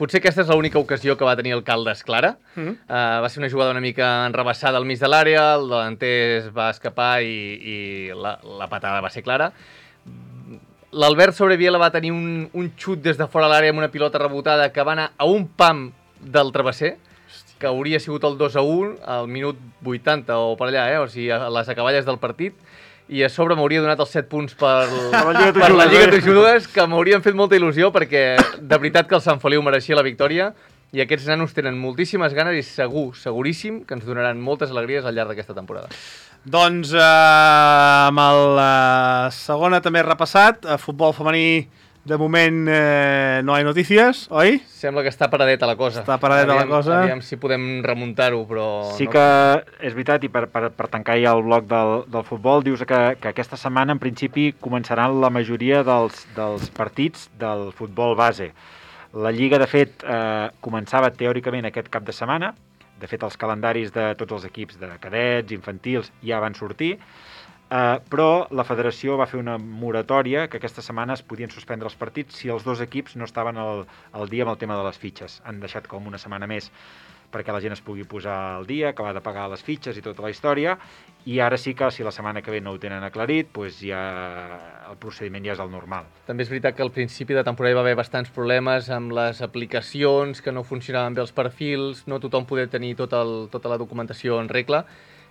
potser aquesta és l'única ocasió que va tenir el Caldes clara. Mm-hmm. uh, va ser una jugada una mica enrebaçada al mig de l'àrea, el delanter es va escapar i, i la, la patada va ser clara. L'Albert Sobreviela va tenir un, un xut des de fora de l'àrea amb una pilota rebotada que va anar a un pam del travesser, que hauria sigut el dos a un al minut vuitanta o per allà, eh? O sigui, a les acaballes del partit. I a sobre m'hauria donat els set punts per, per la Lliga Tujugues, que m'haurien fet molta il·lusió, perquè de veritat que el Sant Feliu mereixia la victòria, i aquests nanos tenen moltíssimes ganes i segur, seguríssim, que ens donaran moltes alegries al llarg d'aquesta temporada. Doncs eh, amb la eh, segona també repassat, a futbol femení de moment eh, no hi ha notícies, oi? Sembla que està paradeta la cosa. Està paradeta aviam, la cosa. Aviam si podem remuntar-ho, però... Sí no... que és veritat, i per, per, per tancar ja el bloc del, del futbol, dius que, que aquesta setmana en principi començaran la majoria dels, dels partits del futbol base. La Lliga, de fet, eh, començava teòricament aquest cap de setmana. De fet, els calendaris de tots els equips de cadets, infantils, ja van sortir. Uh, però la federació va fer una moratòria que aquesta setmana es podien suspendre els partits si els dos equips no estaven al, al dia amb el tema de les fitxes. Han deixat com una setmana més perquè la gent es pugui posar al dia, acabar de pagar les fitxes i tota la història, i ara sí que si la setmana que ve no ho tenen aclarit, doncs ja el procediment ja és el normal. També és veritat que al principi de temporada hi va haver bastants problemes amb les aplicacions, que no funcionaven bé els perfils, no tothom podia tenir tot el, tota la documentació en regla,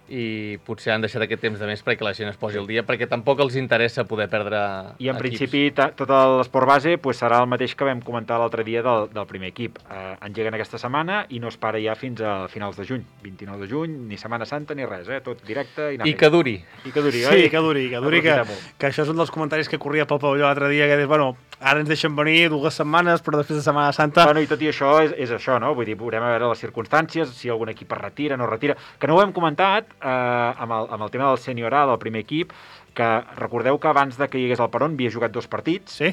i potser han deixat aquest temps de més perquè la gent es posi al dia, perquè tampoc els interessa poder perdre I en equips. principi tot l'esport base pues, serà el mateix que vam comentar l'altre dia del, del primer equip. Eh, engeguen aquesta setmana i no es para ja fins a finals de juny. vint-i-nou de juny, ni Setmana Santa ni res, eh? Tot directe i anar I que duri. I que duri, sí, oi? Sí, que duri, que duri, que, que això és un dels comentaris que corria pel pavelló l'altre dia, que dius, bueno, ara ens deixen venir dues setmanes, però després de Setmana Santa... Bueno, i tot i això és, és això, no? Vull dir, veurem a veure les circumstàncies, si algun equip es retira, no retira... Que no ho hem comentat eh, amb, el, amb el tema del sènior A, del primer equip, que recordeu que abans de que hi hagués el Peron havia jugat dos partits, sí.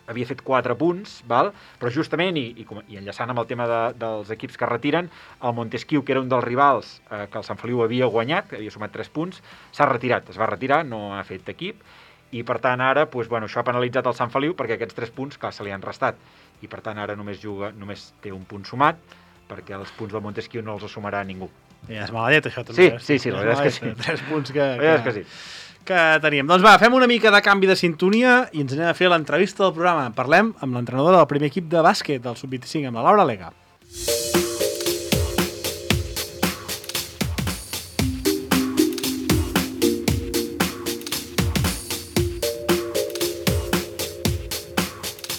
Havia fet quatre punts, val? Però justament, i, i, i enllaçant amb el tema de, dels equips que retiren, el Montesquieu, que era un dels rivals eh, que el Sant Feliu havia guanyat, que havia sumat tres punts, s'ha retirat, es va retirar, no ha fet equip, i per tant ara, doncs, bueno, això ha penalitzat el Sant Feliu perquè aquests tres punts, clar, se li han restat, i per tant ara només juga, només té un punt sumat, perquè els punts del Montesquieu no els sumarà ningú. Ja és mala llet, això, també. Sí, sí, sí, la veritat és que sí. Tres punts que, que, és que, sí. que teníem. Doncs va, fem una mica de canvi de sintonia i ens anem a fer l'entrevista del programa. Parlem amb l'entrenadora del primer equip de bàsquet del sub vint-i-cinc, amb la Laura Lega.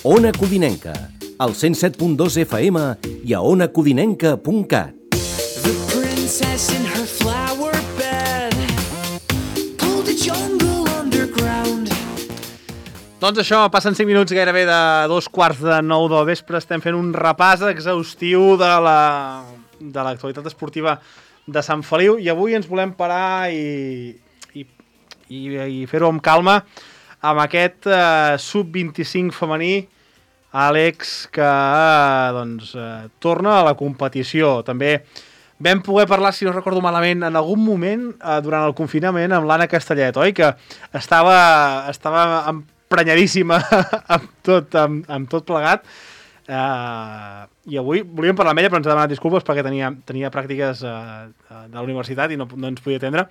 Ona Codinenca, al cent set punt dos F M i a ona codinenca punt cat. The princess in her flower bed pulled the jungle underground. Doncs això, passen cinc minuts gairebé de dos quarts de nou del vespre. Estem fent un repàs exhaustiu de la de l'actualitat esportiva de Sant Feliu i avui ens volem parar i, i, i, i fer-ho amb calma amb aquest eh, sub vint-i-cinc femení, Àlex, que eh, doncs, eh, torna a la competició. També vam poder parlar, si no recordo malament, en algun moment eh, durant el confinament amb l'Anna Castellet, oi? Que estava, estava emprenyadíssima amb, tot, amb, amb tot plegat. Uh, I avui volíem parlar amb ella, però ens ha demanat disculpes perquè tenia, tenia pràctiques uh, de la universitat i no, no ens podia atendre.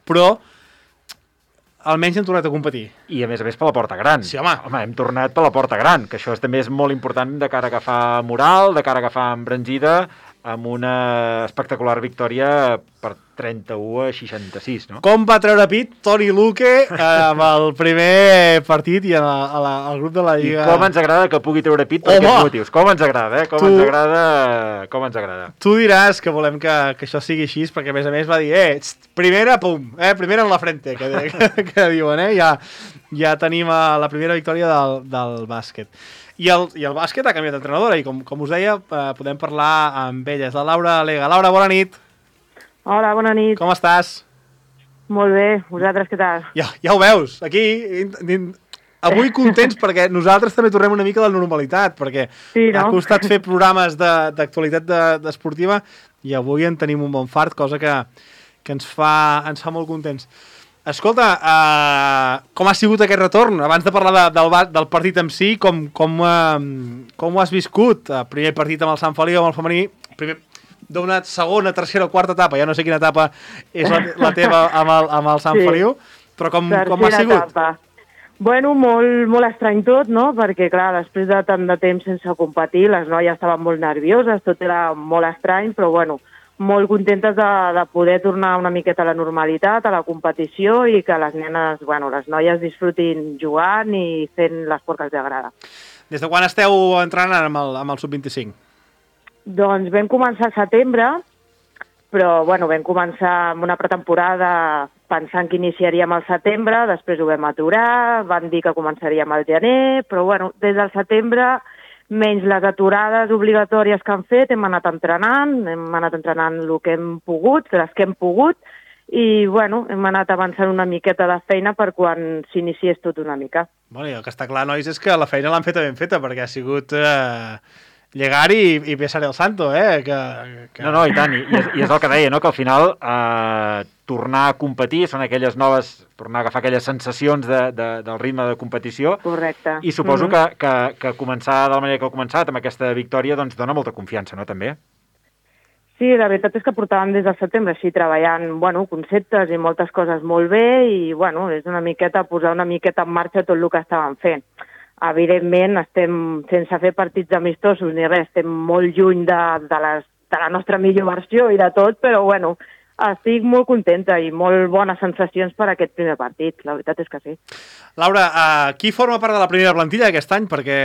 Però almenys hem tornat a competir. I a més a més per la porta gran. Sí, home. Home, hem tornat per la porta gran, que això és, també és molt important de cara a agafar moral, de cara a agafar embranzida, amb una espectacular victòria per trenta-u a seixanta-sis, no? Com va treure pit Toni Luque eh, amb el primer partit i a la, a la, al grup de la Lliga. I com ens agrada que pugui treure pit per Home! aquests motius. Com ens agrada, eh? Com Tu- ens agrada, com ens agrada. Tu diràs que volem que, que això sigui així, perquè a més a més va dir, eh, txt, primera, pum, eh, primera en la frente, que, que, que diuen, eh, ja, ja tenim eh, la primera victòria del, del bàsquet. I el, I el bàsquet ha canviat d'entrenadora i com, com us deia, eh, podem parlar amb ella. És la Laura Lega. Laura, bona nit. Hola, bona nit. Com estàs? Molt bé, vosaltres què tal? Ja, ja ho veus, aquí... In, in, avui contents perquè nosaltres també tornem una mica a la normalitat, perquè Sí, no? ha costat fer programes de- d'actualitat de, de, esportiva i avui en tenim un bon fart, cosa que, que ens, fa, ens fa molt contents. Escolta, uh, com ha sigut aquest retorn? Abans de parlar de, del, ba- del partit en si, com, com, uh, com ho has viscut? Uh, primer partit amb el Sant Feliu, amb el femení, primer d'una segona, tercera o quarta etapa, ja no sé quina etapa és la, la teva amb el, amb el Sant Sí. Feliu, però com, com ha Tercera sigut? etapa. Bueno, molt, molt estrany tot, no? Perquè, clar, després de tant de temps sense competir, les noies estaven molt nervioses, tot era molt estrany, però, bueno, molt contentes de, de poder tornar una miqueta a la normalitat, a la competició i que les nenes, bueno, les noies disfrutin jugant i fent l'esport que els agrada. Des de quan esteu entrenant amb el, amb el sub vint-i-cinc? Doncs vam començar al setembre, però bueno, vam començar amb una pretemporada pensant que iniciaríem al setembre, després ho vam aturar, van dir que començaríem al gener, però bueno, des del setembre, menys les aturades obligatòries que han fet, hem anat entrenant, hem anat entrenant el que hem pogut, les que hem pogut, i bueno, hem anat avançant una miqueta de feina per quan s'iniciés tot una mica. Bueno, i el que està clar, nois, és que la feina l'han feta ben feta, perquè ha sigut eh, llegar i, i besar el santo, eh? Que, que... No, no, i tant, i, i, és, i és el que deia, no? Que al final eh, tornar a competir són aquelles noves, tornar a agafar aquelles sensacions de, de, del ritme de competició. Correcte. I suposo Mhm. que, que, que començar de la manera que heu començat, amb aquesta victòria, doncs dona molta confiança, no, també? Sí, la veritat és que portàvem des del setembre així treballant, bueno, conceptes i moltes coses molt bé i, bueno, és una miqueta posar una miqueta en marxa tot el que estàvem fent. Evidentment, estem sense fer partits amistosos ni res, estem molt lluny de, de, les, de la nostra millor versió i de tot, però, bueno, estic molt contenta i molt bones sensacions per aquest primer partit, la veritat és que sí. Laura, uh, qui forma part de la primera plantilla aquest any? Perquè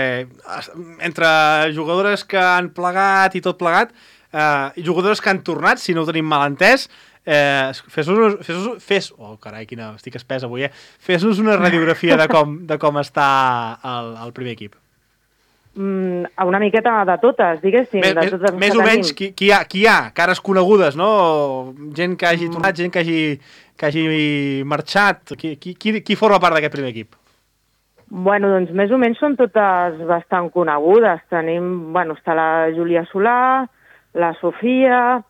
es- entre jugadores que han plegat i tot plegat, uh, i jugadores que han tornat, si no ho tenim mal entès, eh, fes-nos, fes-nos, fes, oh carai, quina, estic espès avui, eh? Fes-nos una radiografia de com, de com està el, el primer equip. Mm, una miqueta de totes, diguéssim. Més, de més, totes les més que o menys, tenim. qui, qui, hi ha, qui hi ha? Cares conegudes, no? Gent que hagi tornat, gent que hagi, que hagi marxat. Qui, qui, qui, qui forma part d'aquest primer equip? Bueno, doncs més o menys són totes bastant conegudes. Tenim, bueno, està la Júlia Solà, la Sofia,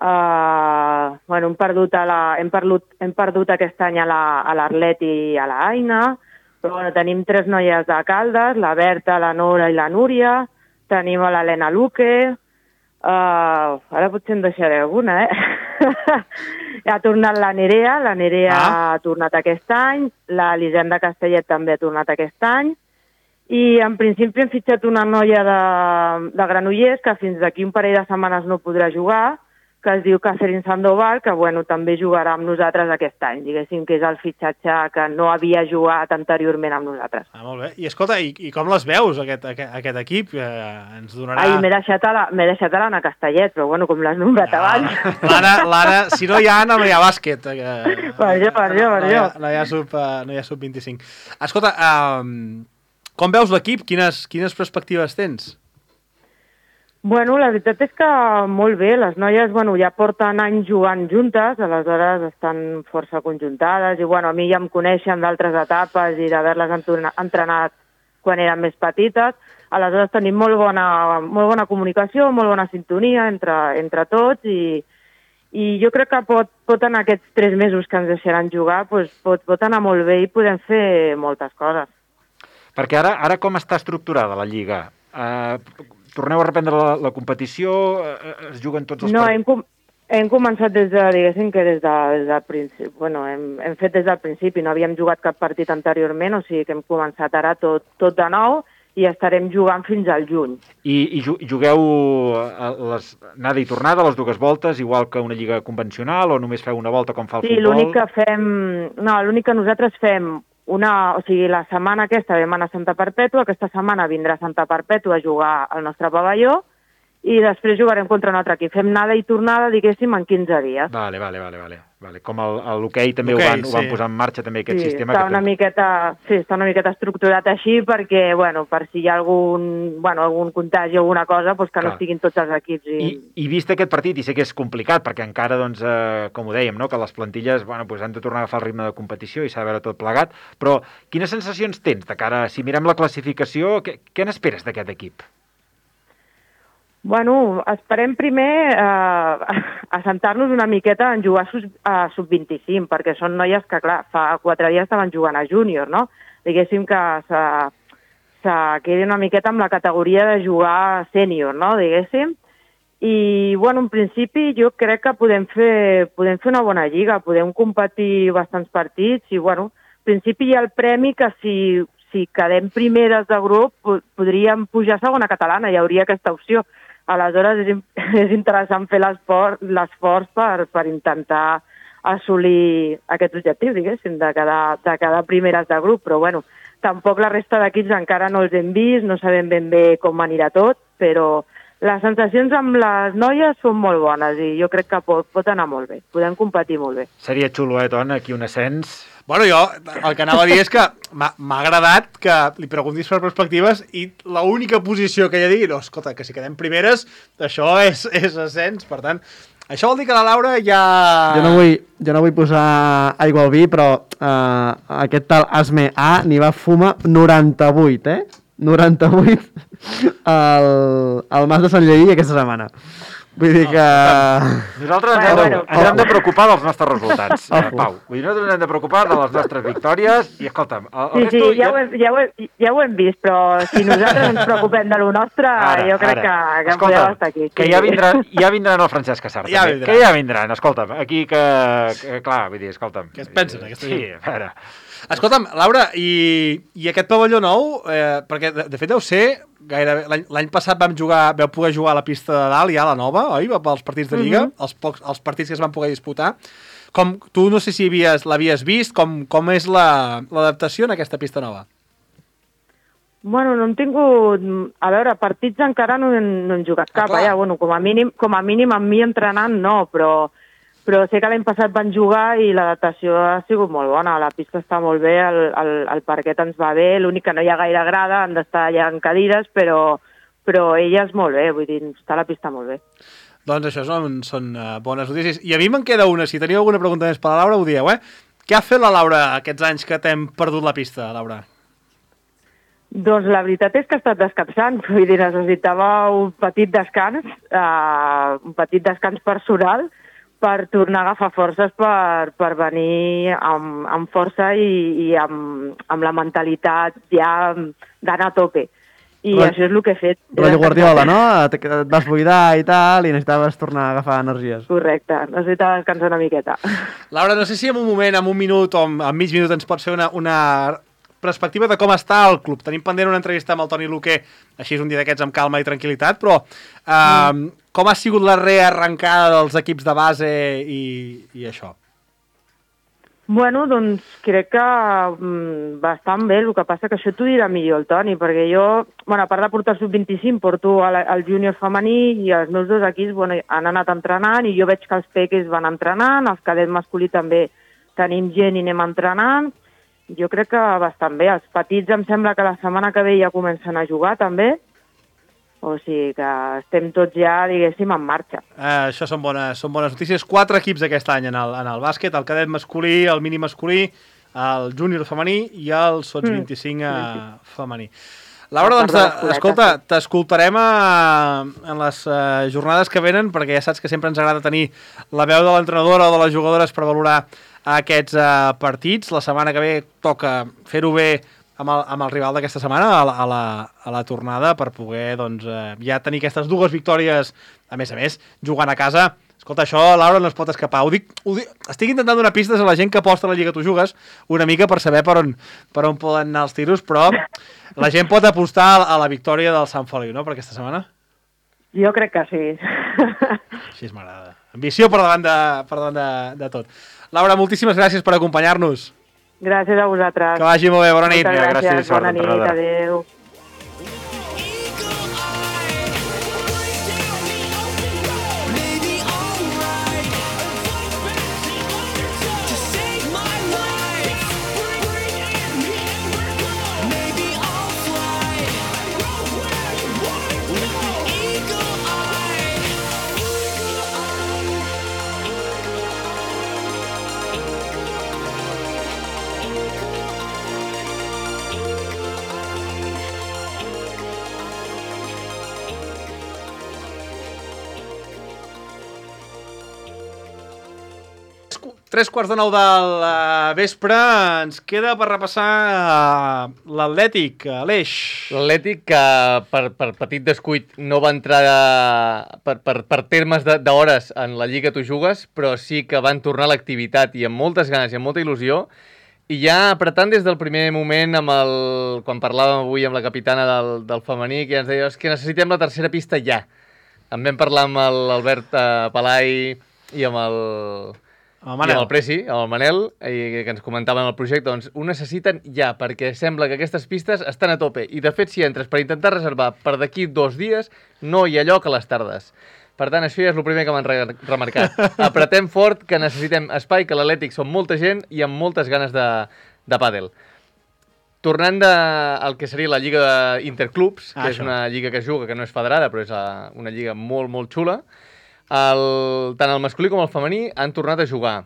eh, bueno, hem perdut, a la, hem, perdut, hem perdut aquest any a la- a l'Arlet i a la Aina, però bueno, tenim tres noies de Caldes, la Berta, la Nora i la Núria, tenim a l'Helena Luque, uh, ara potser en deixaré alguna, eh? Ha tornat la Nerea, la Nerea Ah. ha tornat aquest any, la Lisenda Castellet també ha tornat aquest any, i en principi hem fitxat una noia de, de Granollers que fins d'aquí un parell de setmanes no podrà jugar, que es diu Catherine Sandoval, que bueno, també jugarà amb nosaltres aquest any, diguéssim que és el fitxatge que no havia jugat anteriorment amb nosaltres. Ah, molt bé. I escolta, i, i com les veus, aquest, aquest, aquest equip? Eh, ens donarà... Ai, m'he deixat a la- m'he deixat a l'Anna Castellet, però bueno, com l'has nombrat abans. L'Anna, l'Anna, si no hi ha Anna, no hi ha bàsquet. Eh, Per jo, per jo, per no hi ha, jo. no hi ha sub, eh, no hi ha sub vint-i-cinc. Escolta, um, com veus l'equip? Quines, quines perspectives tens? Bueno, la veritat és que molt bé. Les noies bueno, ja porten anys jugant juntes, aleshores estan força conjuntades i bueno, a mi ja em coneixen d'altres etapes i d'haver-les entrenat quan eren més petites. Aleshores tenim molt bona, molt bona comunicació, molt bona sintonia entre, entre tots i, i jo crec que pot, pot en aquests tres mesos que ens deixaran jugar doncs pot, pot anar molt bé i podem fer moltes coses. Perquè ara, ara com està estructurada la Lliga? Uh, torneu a reprendre la, la competició? Uh, es juguen tots els no, partits? Hem, com, hem començat des de, diguéssim, que des, de, des del principi. Bueno, hem, hem fet des del principi, no havíem jugat cap partit anteriorment, o sigui que hem començat ara tot, tot de nou i estarem jugant fins al juny. I, i jugueu les, anada i tornada, les dues voltes, igual que una lliga convencional, o només feu una volta com fa el sí, futbol? Sí, l'únic que fem... No, l'únic que nosaltres fem una... O sigui, la setmana aquesta vam anar a Santa Perpètua, aquesta setmana vindrà a Santa Perpètua a jugar al nostre pavelló, i després jugarem contra un altre equip. Fem anada i tornada, diguéssim, en quinze dies. Vale, vale, vale, vale. vale. Com l'hoquei també ho van, sí. ho van posar en marxa, també aquest sí, sistema. Està que una tu... miqueta, sí, està una miqueta estructurat així perquè, bueno, per si hi ha algun, bueno, algun contagi o alguna cosa, doncs que Clar. no estiguin tots els equips. I... I, I vist aquest partit, i sé que és complicat, perquè encara, doncs, eh, com ho dèiem, no? que les plantilles bueno, doncs han de tornar a agafar el ritme de competició i s'ha de veure tot plegat, però quines sensacions tens de cara, si mirem la classificació, què, què n'esperes d'aquest equip? Bueno, esperem primer eh, assentar-nos una miqueta en jugar a sub vint-i-cinc, perquè són noies que, clar, fa quatre dies estaven jugant a júnior, no? Diguéssim que se, se quedi una miqueta amb la categoria de jugar sènior, no? Diguéssim. I, bueno, en principi jo crec que podem fer, podem fer una bona lliga, podem competir bastants partits i, bueno, en principi hi ha el premi que si, si quedem primeres de grup podríem pujar a segona catalana, hi hauria aquesta opció. Aleshores és, és interessant fer l'esforç per, per intentar assolir aquest objectiu, diguéssim, de quedar, de quedar primeres de grup, però bueno, tampoc la resta d'equips encara no els hem vist, no sabem ben bé com anirà tot, però les sensacions amb les noies són molt bones i jo crec que pot, pot anar molt bé, podem competir molt bé. Seria xulo, eh, Ton, aquí un ascens... Bueno, jo el que anava a dir és que m'ha agradat que li preguntis per perspectives i l'única posició que ella digui, no, escolta, que si quedem primeres, això és, és ascens, per tant, això vol dir que la Laura ja... Jo no vull, jo no vull posar aigua al vi, però uh, aquest tal Asme A n'hi va fumar noranta-vuit, eh? noranta-vuit al, al Mas de Sant Lleí aquesta setmana. Vull dir que... Nosaltres ens, hem, ens hem de preocupar dels nostres resultats, eh, Pau. Vull dir, nosaltres ens hem de preocupar de les nostres victòries i, escolta'm... El, el sí, sí, ja, ho hem, ja, ho hem, ja ho hem vist, però si nosaltres ens preocupem de lo nostre, ara, jo crec ara. que, que podeu estar aquí. Que ja vindran, ja vindran el Francesc Cassar, ja també. Que ja vindran, escolta'm. Aquí que... que clar, vull dir, escolta'm. Què es pensen, aquesta gent? Sí, a veure... Escolta'm, Laura, i, i aquest pavelló nou, eh, perquè de, de fet deu ser, gairebé l'any passat vam jugar, vau poder jugar a la pista de dalt, ja la nova, oi? Pels partits de Lliga, mm -hmm. els, pocs, els partits que es van poder disputar. Com, tu no sé si l'havies vist, com, com és l'adaptació la, en aquesta pista nova? Bueno, no hem tingut... A veure, partits encara no hem, no hem jugat cap, ah, allà. Bueno, com a mínim, com a mínim amb mi entrenant no, però... Però sé que l'any passat van jugar i l'adaptació ha sigut molt bona. La pista està molt bé, el, el, el parquet ens va bé, l'únic que no hi ha gaire grada, han d'estar allà en cadires, però, però elles molt bé, vull dir, està la pista molt bé. Doncs això són, són uh, bones notícies. I a mi me'n queda una, si teniu alguna pregunta més per la Laura, ho dieu, eh? Què ha fet la Laura aquests anys que t'hem perdut la pista, Laura? Doncs la veritat és que ha estat descansant, vull dir, necessitava un petit descans, uh, un petit descans personal, per tornar a agafar forces per, per venir amb, amb força i, i amb, amb la mentalitat ja d'anar a tope. I Però, això és el que he fet. Rotllo Guardiola, no? Et, et vas buidar i tal, i necessitaves tornar a agafar energies. Correcte, necessitava descansar una miqueta. Laura, no sé si en un moment, en un minut o en, en mig minut ens pots fer una, una perspectiva de com està el club. Tenim pendent una entrevista amb el Toni Luque, així és un dia d'aquests amb calma i tranquil·litat, però... Eh, mm. Com ha sigut la rearrencada dels equips de base i, i això? Bueno, doncs crec que mm, bastant bé, el que passa que això t'ho dirà millor el Toni, perquè jo, bueno, a part de portar el sub vint-i-cinc, porto el, el júnior femení i els meus dos equips bueno, han anat entrenant i jo veig que els peques van entrenant, els cadets masculí també tenim gent i anem entrenant. Jo crec que bastant bé. Els petits em sembla que la setmana que ve ja comencen a jugar també. O sigui que estem tots ja, diguéssim, en marxa. Uh, això són bones, són bones notícies. Quatre equips aquest any en el, en el bàsquet, el cadet masculí, el mini masculí, el júnior femení i el sots mm. vint-i-cinc uh, femení. Laura, doncs, escolta, t'escoltarem en les uh, jornades que venen, perquè ja saps que sempre ens agrada tenir la veu de l'entrenadora o de les jugadores per valorar aquests uh, partits. La setmana que ve toca fer-ho bé amb el, amb el rival d'aquesta setmana a la, a, la, a la tornada per poder doncs, eh, ja tenir aquestes dues victòries, a més a més, jugant a casa. Escolta, això, Laura, no es pot escapar. Ho dic, ho dic, estic intentant donar pistes a la gent que aposta a la Lliga Tu Jugues una mica per saber per on, per on poden anar els tiros, però la gent pot apostar a la victòria del Sant Feliu, no?, per aquesta setmana? Jo crec que sí. Així m'agrada. Ambició per davant, de, per davant de, de tot. Laura, moltíssimes gràcies per acompanyar-nos. Gràcies a vosaltres. Que vagi molt bé, bona nit. Moltes gràcies, gràcies bona nit, adéu. Tres quarts de nou del uh, vespre, ens queda per repassar uh, l'Atlètic, Aleix. L'Atlètic que per, per petit descuit no va entrar de, per, per, per termes d'hores en la Lliga Tu Jugues, però sí que van tornar a l'activitat i amb moltes ganes i amb molta il·lusió, i ja apretant des del primer moment, amb el, quan parlàvem avui amb la capitana del, del femení, que ens deia que necessitem la tercera pista ja. En vam parlar amb l'Albert uh, Palai i amb el... El I amb el Presi, amb el Manel, i que ens comentaven el projecte, doncs ho necessiten ja, perquè sembla que aquestes pistes estan a tope. I de fet, si entres per intentar reservar per d'aquí dos dies, no hi ha lloc a les tardes. Per tant, això ja és el primer que m'han re remarcat. Apretem fort, que necessitem espai, que l'Atlètic som molta gent i amb moltes ganes de, de pàdel. Tornant de, al que seria la Lliga Interclubs, que ah, és això. Una lliga que es juga, que no és federada, però és una lliga molt, molt xula, El, tant el masculí com el femení han tornat a jugar.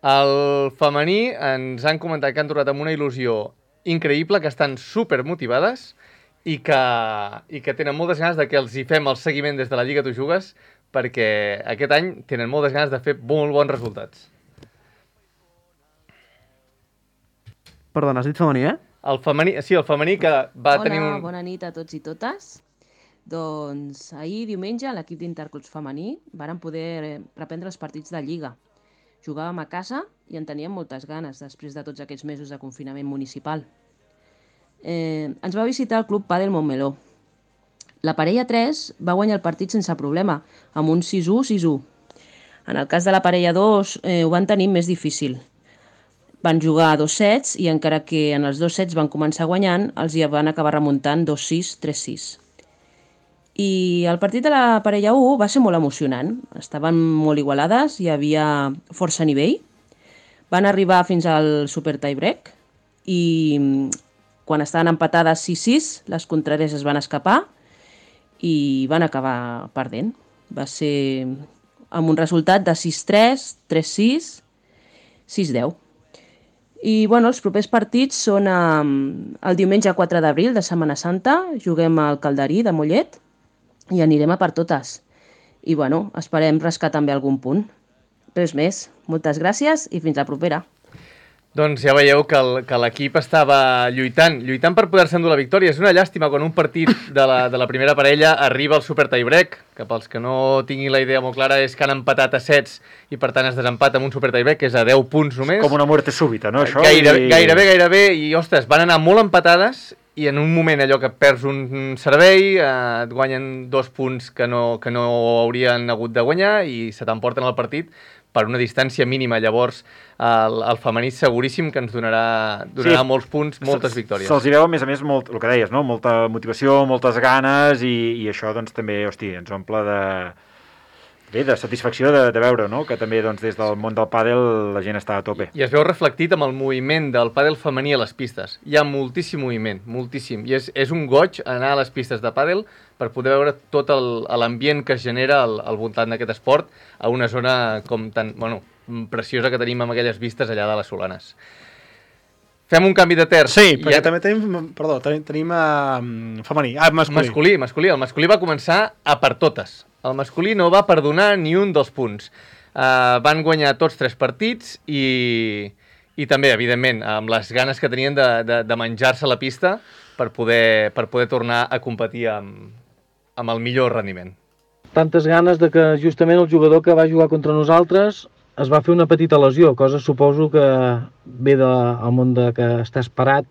El femení ens han comentat que han tornat amb una il·lusió increïble, que estan super motivades i que, i que tenen moltes ganes de que els hi fem el seguiment des de la Lliga Tu Jugues, perquè aquest any tenen moltes ganes de fer molt bons resultats. Perdona, has dit femení, eh? El femení, sí, el femení que va Hola, tenir un... Hola, bona nit a tots i totes. Doncs ahir, diumenge, l'equip d'Interclubs femení varen poder reprendre els partits de Lliga. Jugàvem a casa i en teníem moltes ganes després de tots aquests mesos de confinament municipal. Eh, ens va visitar el Club Pàdel Montmeló. La parella tres va guanyar el partit sense problema, amb un sis u sis u. En el cas de la parella dos eh, ho van tenir més difícil. Van jugar dos sets i encara que en els dos sets van començar guanyant, els hi van acabar remuntant dos sis tres sis. I el partit de la parella u va ser molt emocionant. Estaven molt igualades, hi havia força nivell. Van arribar fins al super tiebreak i quan estaven empatades sis sis, les contràries es van escapar i van acabar perdent. Va ser amb un resultat de sis tres, tres sis, sis deu. I bueno, els propers partits són eh, el diumenge quatre d'abril de Setmana Santa, juguem al Calderí de Mollet, i anirem a per totes. I, bueno, esperem rascar també algun punt. Res més. Moltes gràcies i fins la propera. Doncs ja veieu que l'equip estava lluitant, lluitant per poder-se endur la victòria. És una llàstima quan un partit de la, de la primera parella arriba al super tiebreak, que pels que no tinguin la idea molt clara és que han empatat a sets i per tant es desempata amb un super tiebreak, que és a deu punts només. Com una muerte súbita, no? Això Gairebé, i... gairebé, gairebé, i ostres, van anar molt empatades i en un moment allò que perds un servei, eh, et guanyen dos punts que no, que no haurien hagut de guanyar i se t'emporten el partit per una distància mínima. Llavors, el, el femení seguríssim que ens donarà, donarà sí, molts punts, moltes victòries. Se'ls hi veu, a més a més, molt, el que deies, no? Molta motivació, moltes ganes i, i això doncs també, hosti, ens omple de, Bé, de satisfacció de, de veure, no?, que també doncs, des del món del pàdel la gent està a tope. I es veu reflectit amb el moviment del pàdel femení a les pistes. Hi ha moltíssim moviment, moltíssim. I és, és un goig anar a les pistes de pàdel per poder veure tot l'ambient que es genera al, al voltant d'aquest esport a una zona com tan, bueno, preciosa que tenim amb aquelles vistes allà de les Solanes. Fem un canvi de terç. Sí, perquè ja... també tenim, perdó, tenim, tenim uh, femení, ah, masculí. Masculí, masculí. El masculí va començar a per totes. El masculí no va perdonar ni un dels punts. Uh, van guanyar tots tres partits i, i també, evidentment, amb les ganes que tenien de, de, de menjar-se la pista per poder, per poder tornar a competir amb, amb el millor rendiment. Tantes ganes de que justament el jugador que va jugar contra nosaltres es va fer una petita lesió, cosa suposo que ve del món de que estàs parat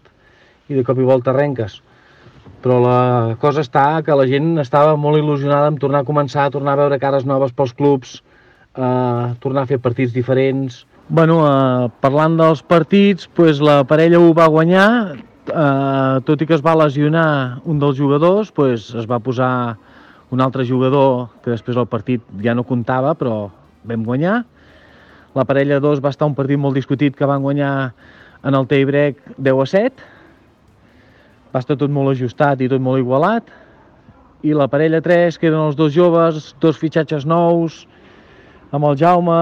i de cop i volta arrenques. Però la cosa està que la gent estava molt il·lusionada en tornar a començar, tornar a veure cares noves pels clubs, eh, tornar a fer partits diferents. Bueno, eh, parlant dels partits, pues, la parella ho va guanyar, eh, tot i que es va lesionar un dels jugadors, pues, es va posar un altre jugador que després del partit ja no comptava, però vam guanyar. La parella dos va estar un partit molt discutit que van guanyar en el tie break deu a set. Va estar tot molt ajustat i tot molt igualat. I la parella tres, que eren els dos joves, dos fitxatges nous, amb el Jaume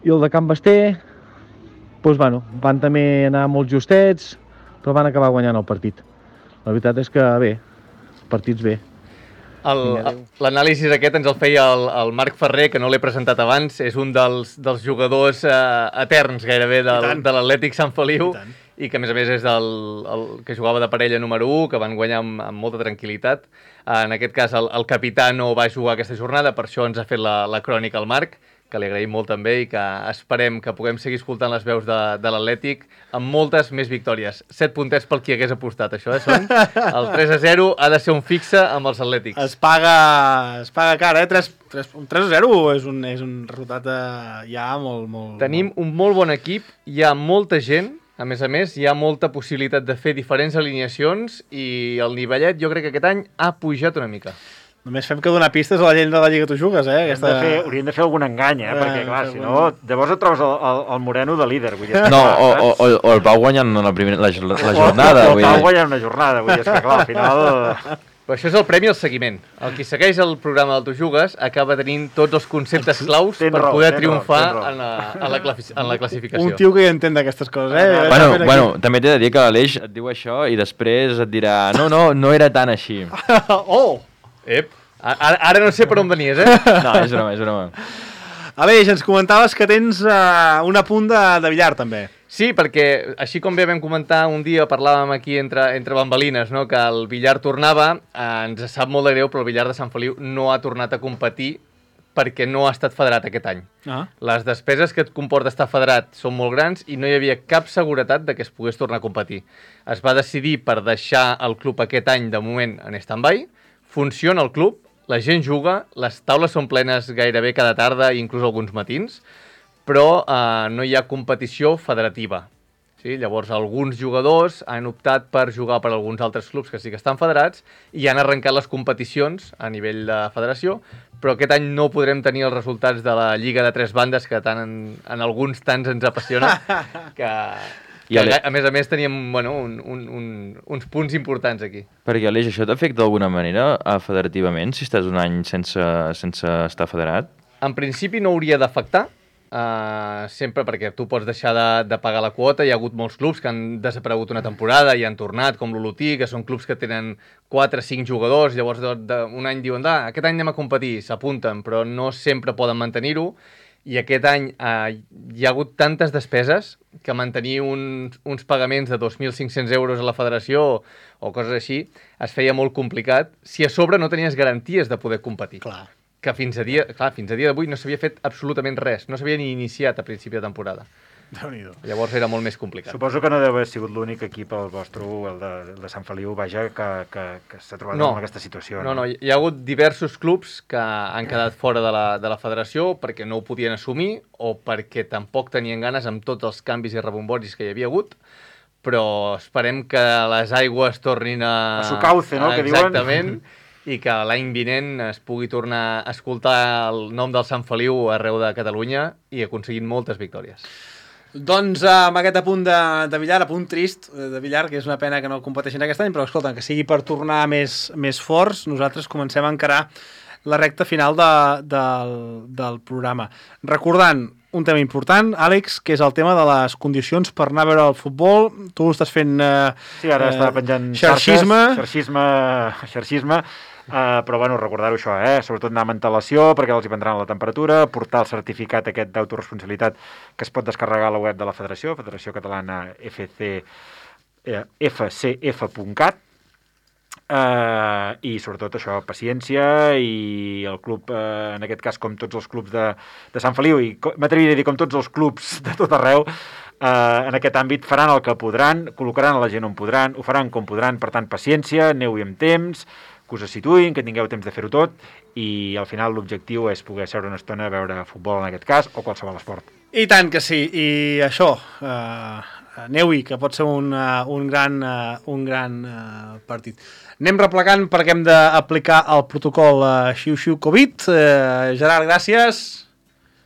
i el de Can Basté, doncs, bueno, van també anar molt justets, però van acabar guanyant el partit. La veritat és que bé, partits bé. L'anàlisi aquest ens el feia el, el Marc Ferrer, que no l'he presentat abans, és un dels, dels jugadors eh, eterns gairebé del, de l'Atlètic Sant Feliu, i que a més a més és el, el que jugava de parella número u, que van guanyar amb, amb molta tranquil·litat. En aquest cas el, el capità no va jugar aquesta jornada, per això ens ha fet la, la crònica al Marc, que li agraïm molt també i que esperem que puguem seguir escoltant les veus de, de l'Atlètic amb moltes més victòries. Set puntets pel qui hagués apostat, això, eh, són? El tres a zero ha de ser un fixe amb els Atlètics. Es paga, es paga cara, eh? tres a zero és un, és un resultat eh, ja molt, molt... Tenim un molt bon equip, hi ha molta gent. A més a més, hi ha molta possibilitat de fer diferents alineacions i el nivellet jo crec que aquest any ha pujat una mica. Només fem que donar pistes a la gent de la Lliga Tu Jugues, eh? Aquesta... Hauríem, de fer, hauríem de fer algun engany, eh? eh perquè, clar, si no, llavors et trobes el, el, el Moreno de líder. Vull dir, no, o, o, o el Pau guanyant la, primera, la, la jornada. O, o el Pau guanyant una jornada, vull dir, és que clar, al final... Però això és el premi al seguiment. El qui segueix el programa del Tu Jugues acaba tenint tots els conceptes claus per raó, poder triomfar raó, en, la, en, la en la classificació. Un tio que ja entén d'aquestes coses, eh? Bueno, bueno també t'he de dir que l'Aleix et diu això i després et dirà no, no, no era tan així. Oh! Ep, ara, ara no sé per on venies, eh? No, és broma, és broma. Aleix, ens comentaves que tens uh, un apunt de, de billar, també. Sí, perquè així com bé vam comentar un dia, parlàvem aquí entre, entre bambalines, no? Que el billar tornava, eh, ens sap molt de greu, però el billar de Sant Feliu no ha tornat a competir perquè no ha estat federat aquest any. Ah. Les despeses que et comporta estar federat són molt grans i no hi havia cap seguretat de que es pogués tornar a competir. Es va decidir per deixar el club aquest any, de moment, en stand-by. Funciona el club, la gent juga, les taules són plenes gairebé cada tarda, inclús alguns matins, però eh, no hi ha competició federativa. Sí? Llavors, alguns jugadors han optat per jugar per alguns altres clubs que sí que estan federats i han arrencat les competicions a nivell de federació, però aquest any no podrem tenir els resultats de la Lliga de Tres Bandes, que tant en, en alguns tants ens apassiona, que, que a, a més a més teníem bueno, un, un, un, uns punts importants aquí. Perquè, Aleix, això t'afecta d'alguna manera federativament, si estàs un any sense, sense estar federat? En principi no hauria d'afectar, Uh, sempre perquè tu pots deixar de, de pagar la quota. Hi ha hagut molts clubs que han desaparegut una temporada i han tornat, com l'Olotí, que són clubs que tenen quatre o cinc jugadors, llavors de, de, un any diuen, ah, aquest any anem a competir, s'apunten, però no sempre poden mantenir-ho, i aquest any uh, hi ha hagut tantes despeses que mantenir uns, uns pagaments de dos mil cinc-cents euros a la federació o, o coses així es feia molt complicat si a sobre no tenies garanties de poder competir. Clar. Que fins a dia, clar, fins a dia d'avui no s'havia fet absolutament res, no s'havia ni iniciat a principi de temporada. Déu-n'hi-do. Llavors era molt més complicat. Suposo que no deu haver sigut l'únic equip, el vostre, el de, el de Sant Feliu, vaja, que, que, que s'ha trobat no, en aquesta situació. No, no, no, hi ha hagut diversos clubs que han quedat fora de la, de la federació perquè no ho podien assumir o perquè tampoc tenien ganes amb tots els canvis i rebomboris que hi havia hagut, però esperem que les aigües tornin a... A su cauce, no?, que diuen. Exactament. i que l'any vinent es pugui tornar a escoltar el nom del Sant Feliu arreu de Catalunya i aconseguint moltes victòries. Doncs amb aquest apunt de, de Villar, apunt trist de Villar, que és una pena que no competeixin aquest any, però escolta, que sigui per tornar més, més forts, nosaltres comencem a encarar la recta final de, del, del programa. Recordant un tema important, Àlex, que és el tema de les condicions per anar a veure el futbol. Tu estàs fent eh, sí, ara eh, està penjant xarxisme. Xarxes, xarxisme, xarxisme. Uh, però bueno, recordar-ho això, eh? Sobretot anar amb antelació perquè els hi prendran la temperatura, portar el certificat aquest d'autoresponsabilitat que es pot descarregar a la web de la Federació, Federació Catalana F C, eh, f c f punt cat, uh, i sobretot això, paciència, i el club, uh, en aquest cas com tots els clubs de, de Sant Feliu, i m'atreviria a dir com tots els clubs de tot arreu, uh, en aquest àmbit faran el que podran, col·locaran a la gent on podran, ho faran com podran, per tant paciència, aneu-hi amb temps, que us situïn, que tingueu temps de fer-ho tot, i al final l'objectiu és poder seure una estona a veure futbol en aquest cas, o qualsevol esport. I tant que sí, i això, eh, aneu-hi, que pot ser un, uh, un gran, uh, un gran uh, partit. Anem replegant perquè hem d'aplicar el protocol uh, Xiu-Xiu Covid. Uh, Gerard, gràcies.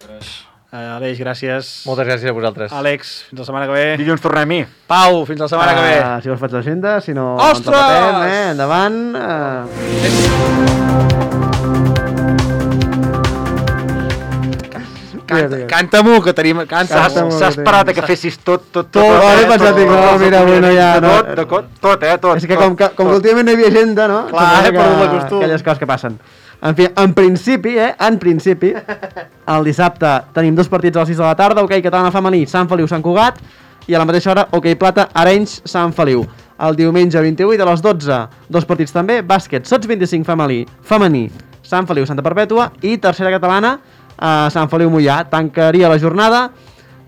Gràcies. Uh, Aleix, gràcies. Moltes gràcies a vosaltres. Àlex, fins la setmana que ve. Dilluns tornem-hi. Pau, fins la setmana uh, que ve. Si vols faig l'agenda, si no... Ostres! Patem, eh? Endavant. Uh... Canta, canta-m'ho, que tenim... S'ha esperat a que fessis tot, tot, tot. Tot, vale, pensat, dic, no, mira, bueno, ja... Tot, tot, tot, eh, tot. És que com que, com que últimament no hi havia agenda, no? Clar, he perdut la costum. Aquelles coses que passen. En fi, en principi, eh, en principi, el dissabte tenim dos partits a les sis de la tarda, hoquei catalana femení, Sant Feliu, Sant Cugat, i a la mateixa hora, hoquei plata, Arenys, Sant Feliu. El diumenge vint-i-vuit a les dotze, dos partits també, bàsquet, Sots vint-i-cinc femení, femení, Sant Feliu, Santa Perpètua, i tercera catalana, a Sant Feliu Moià. Tancaria la jornada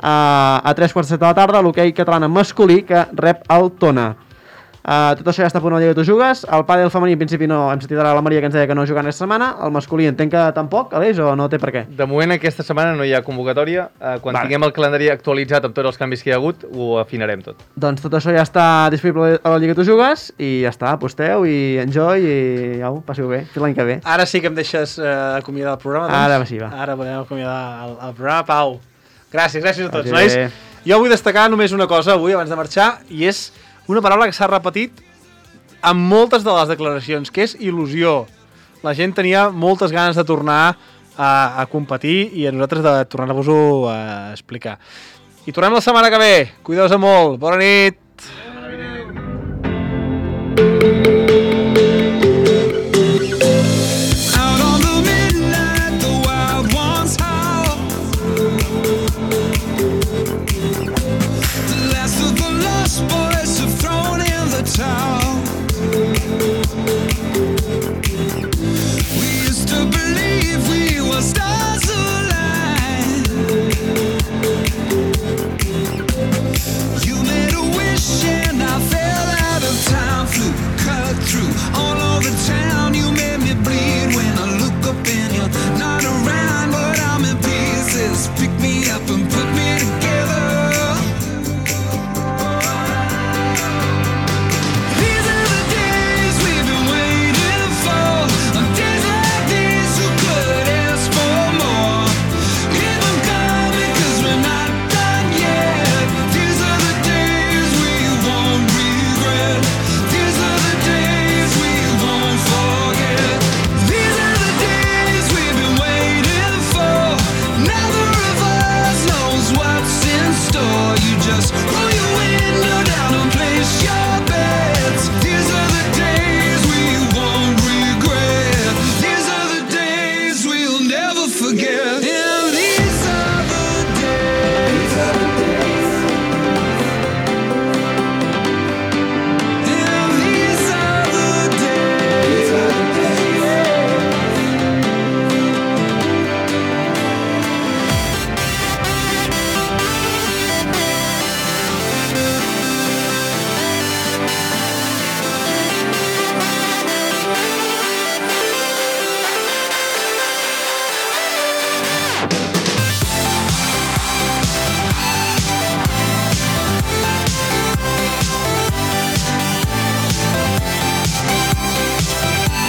a, a tres quarts de set de la tarda, l'hoquei catalana masculí, que rep el Tona. Uh, tot això ja està a punt a la Lliga de Tu Jugues. El pàdel femení, en principi, no. Hem sentit ara la Maria que ens deia que no juga aquesta setmana. El masculí entenc que tampoc, Aleix, o no té per què? De moment aquesta setmana no hi ha convocatòria. Uh, quan vale. tinguem el calendari actualitzat amb tots els canvis que hi ha hagut, ho afinarem tot. Doncs tot això ja està disponible a la Lliga de Tu Jugues i ja està, aposteu i enjoy i au, passeu bé, fins l'any que ve. Ara sí que em deixes uh, acomiadar el programa, doncs? Ara sí, va. Ara podem acomiadar el, el programa. Pau, gràcies, gràcies a tots, nois. Jo vull destacar només una cosa avui, abans de marxar, i és una paraula que s'ha repetit en moltes de les declaracions, que és il·lusió. La gent tenia moltes ganes de tornar a, a competir i a nosaltres de tornar-vos-ho a explicar. I tornem la setmana que ve. Cuideu-vos molt. Bona nit. Bona nit.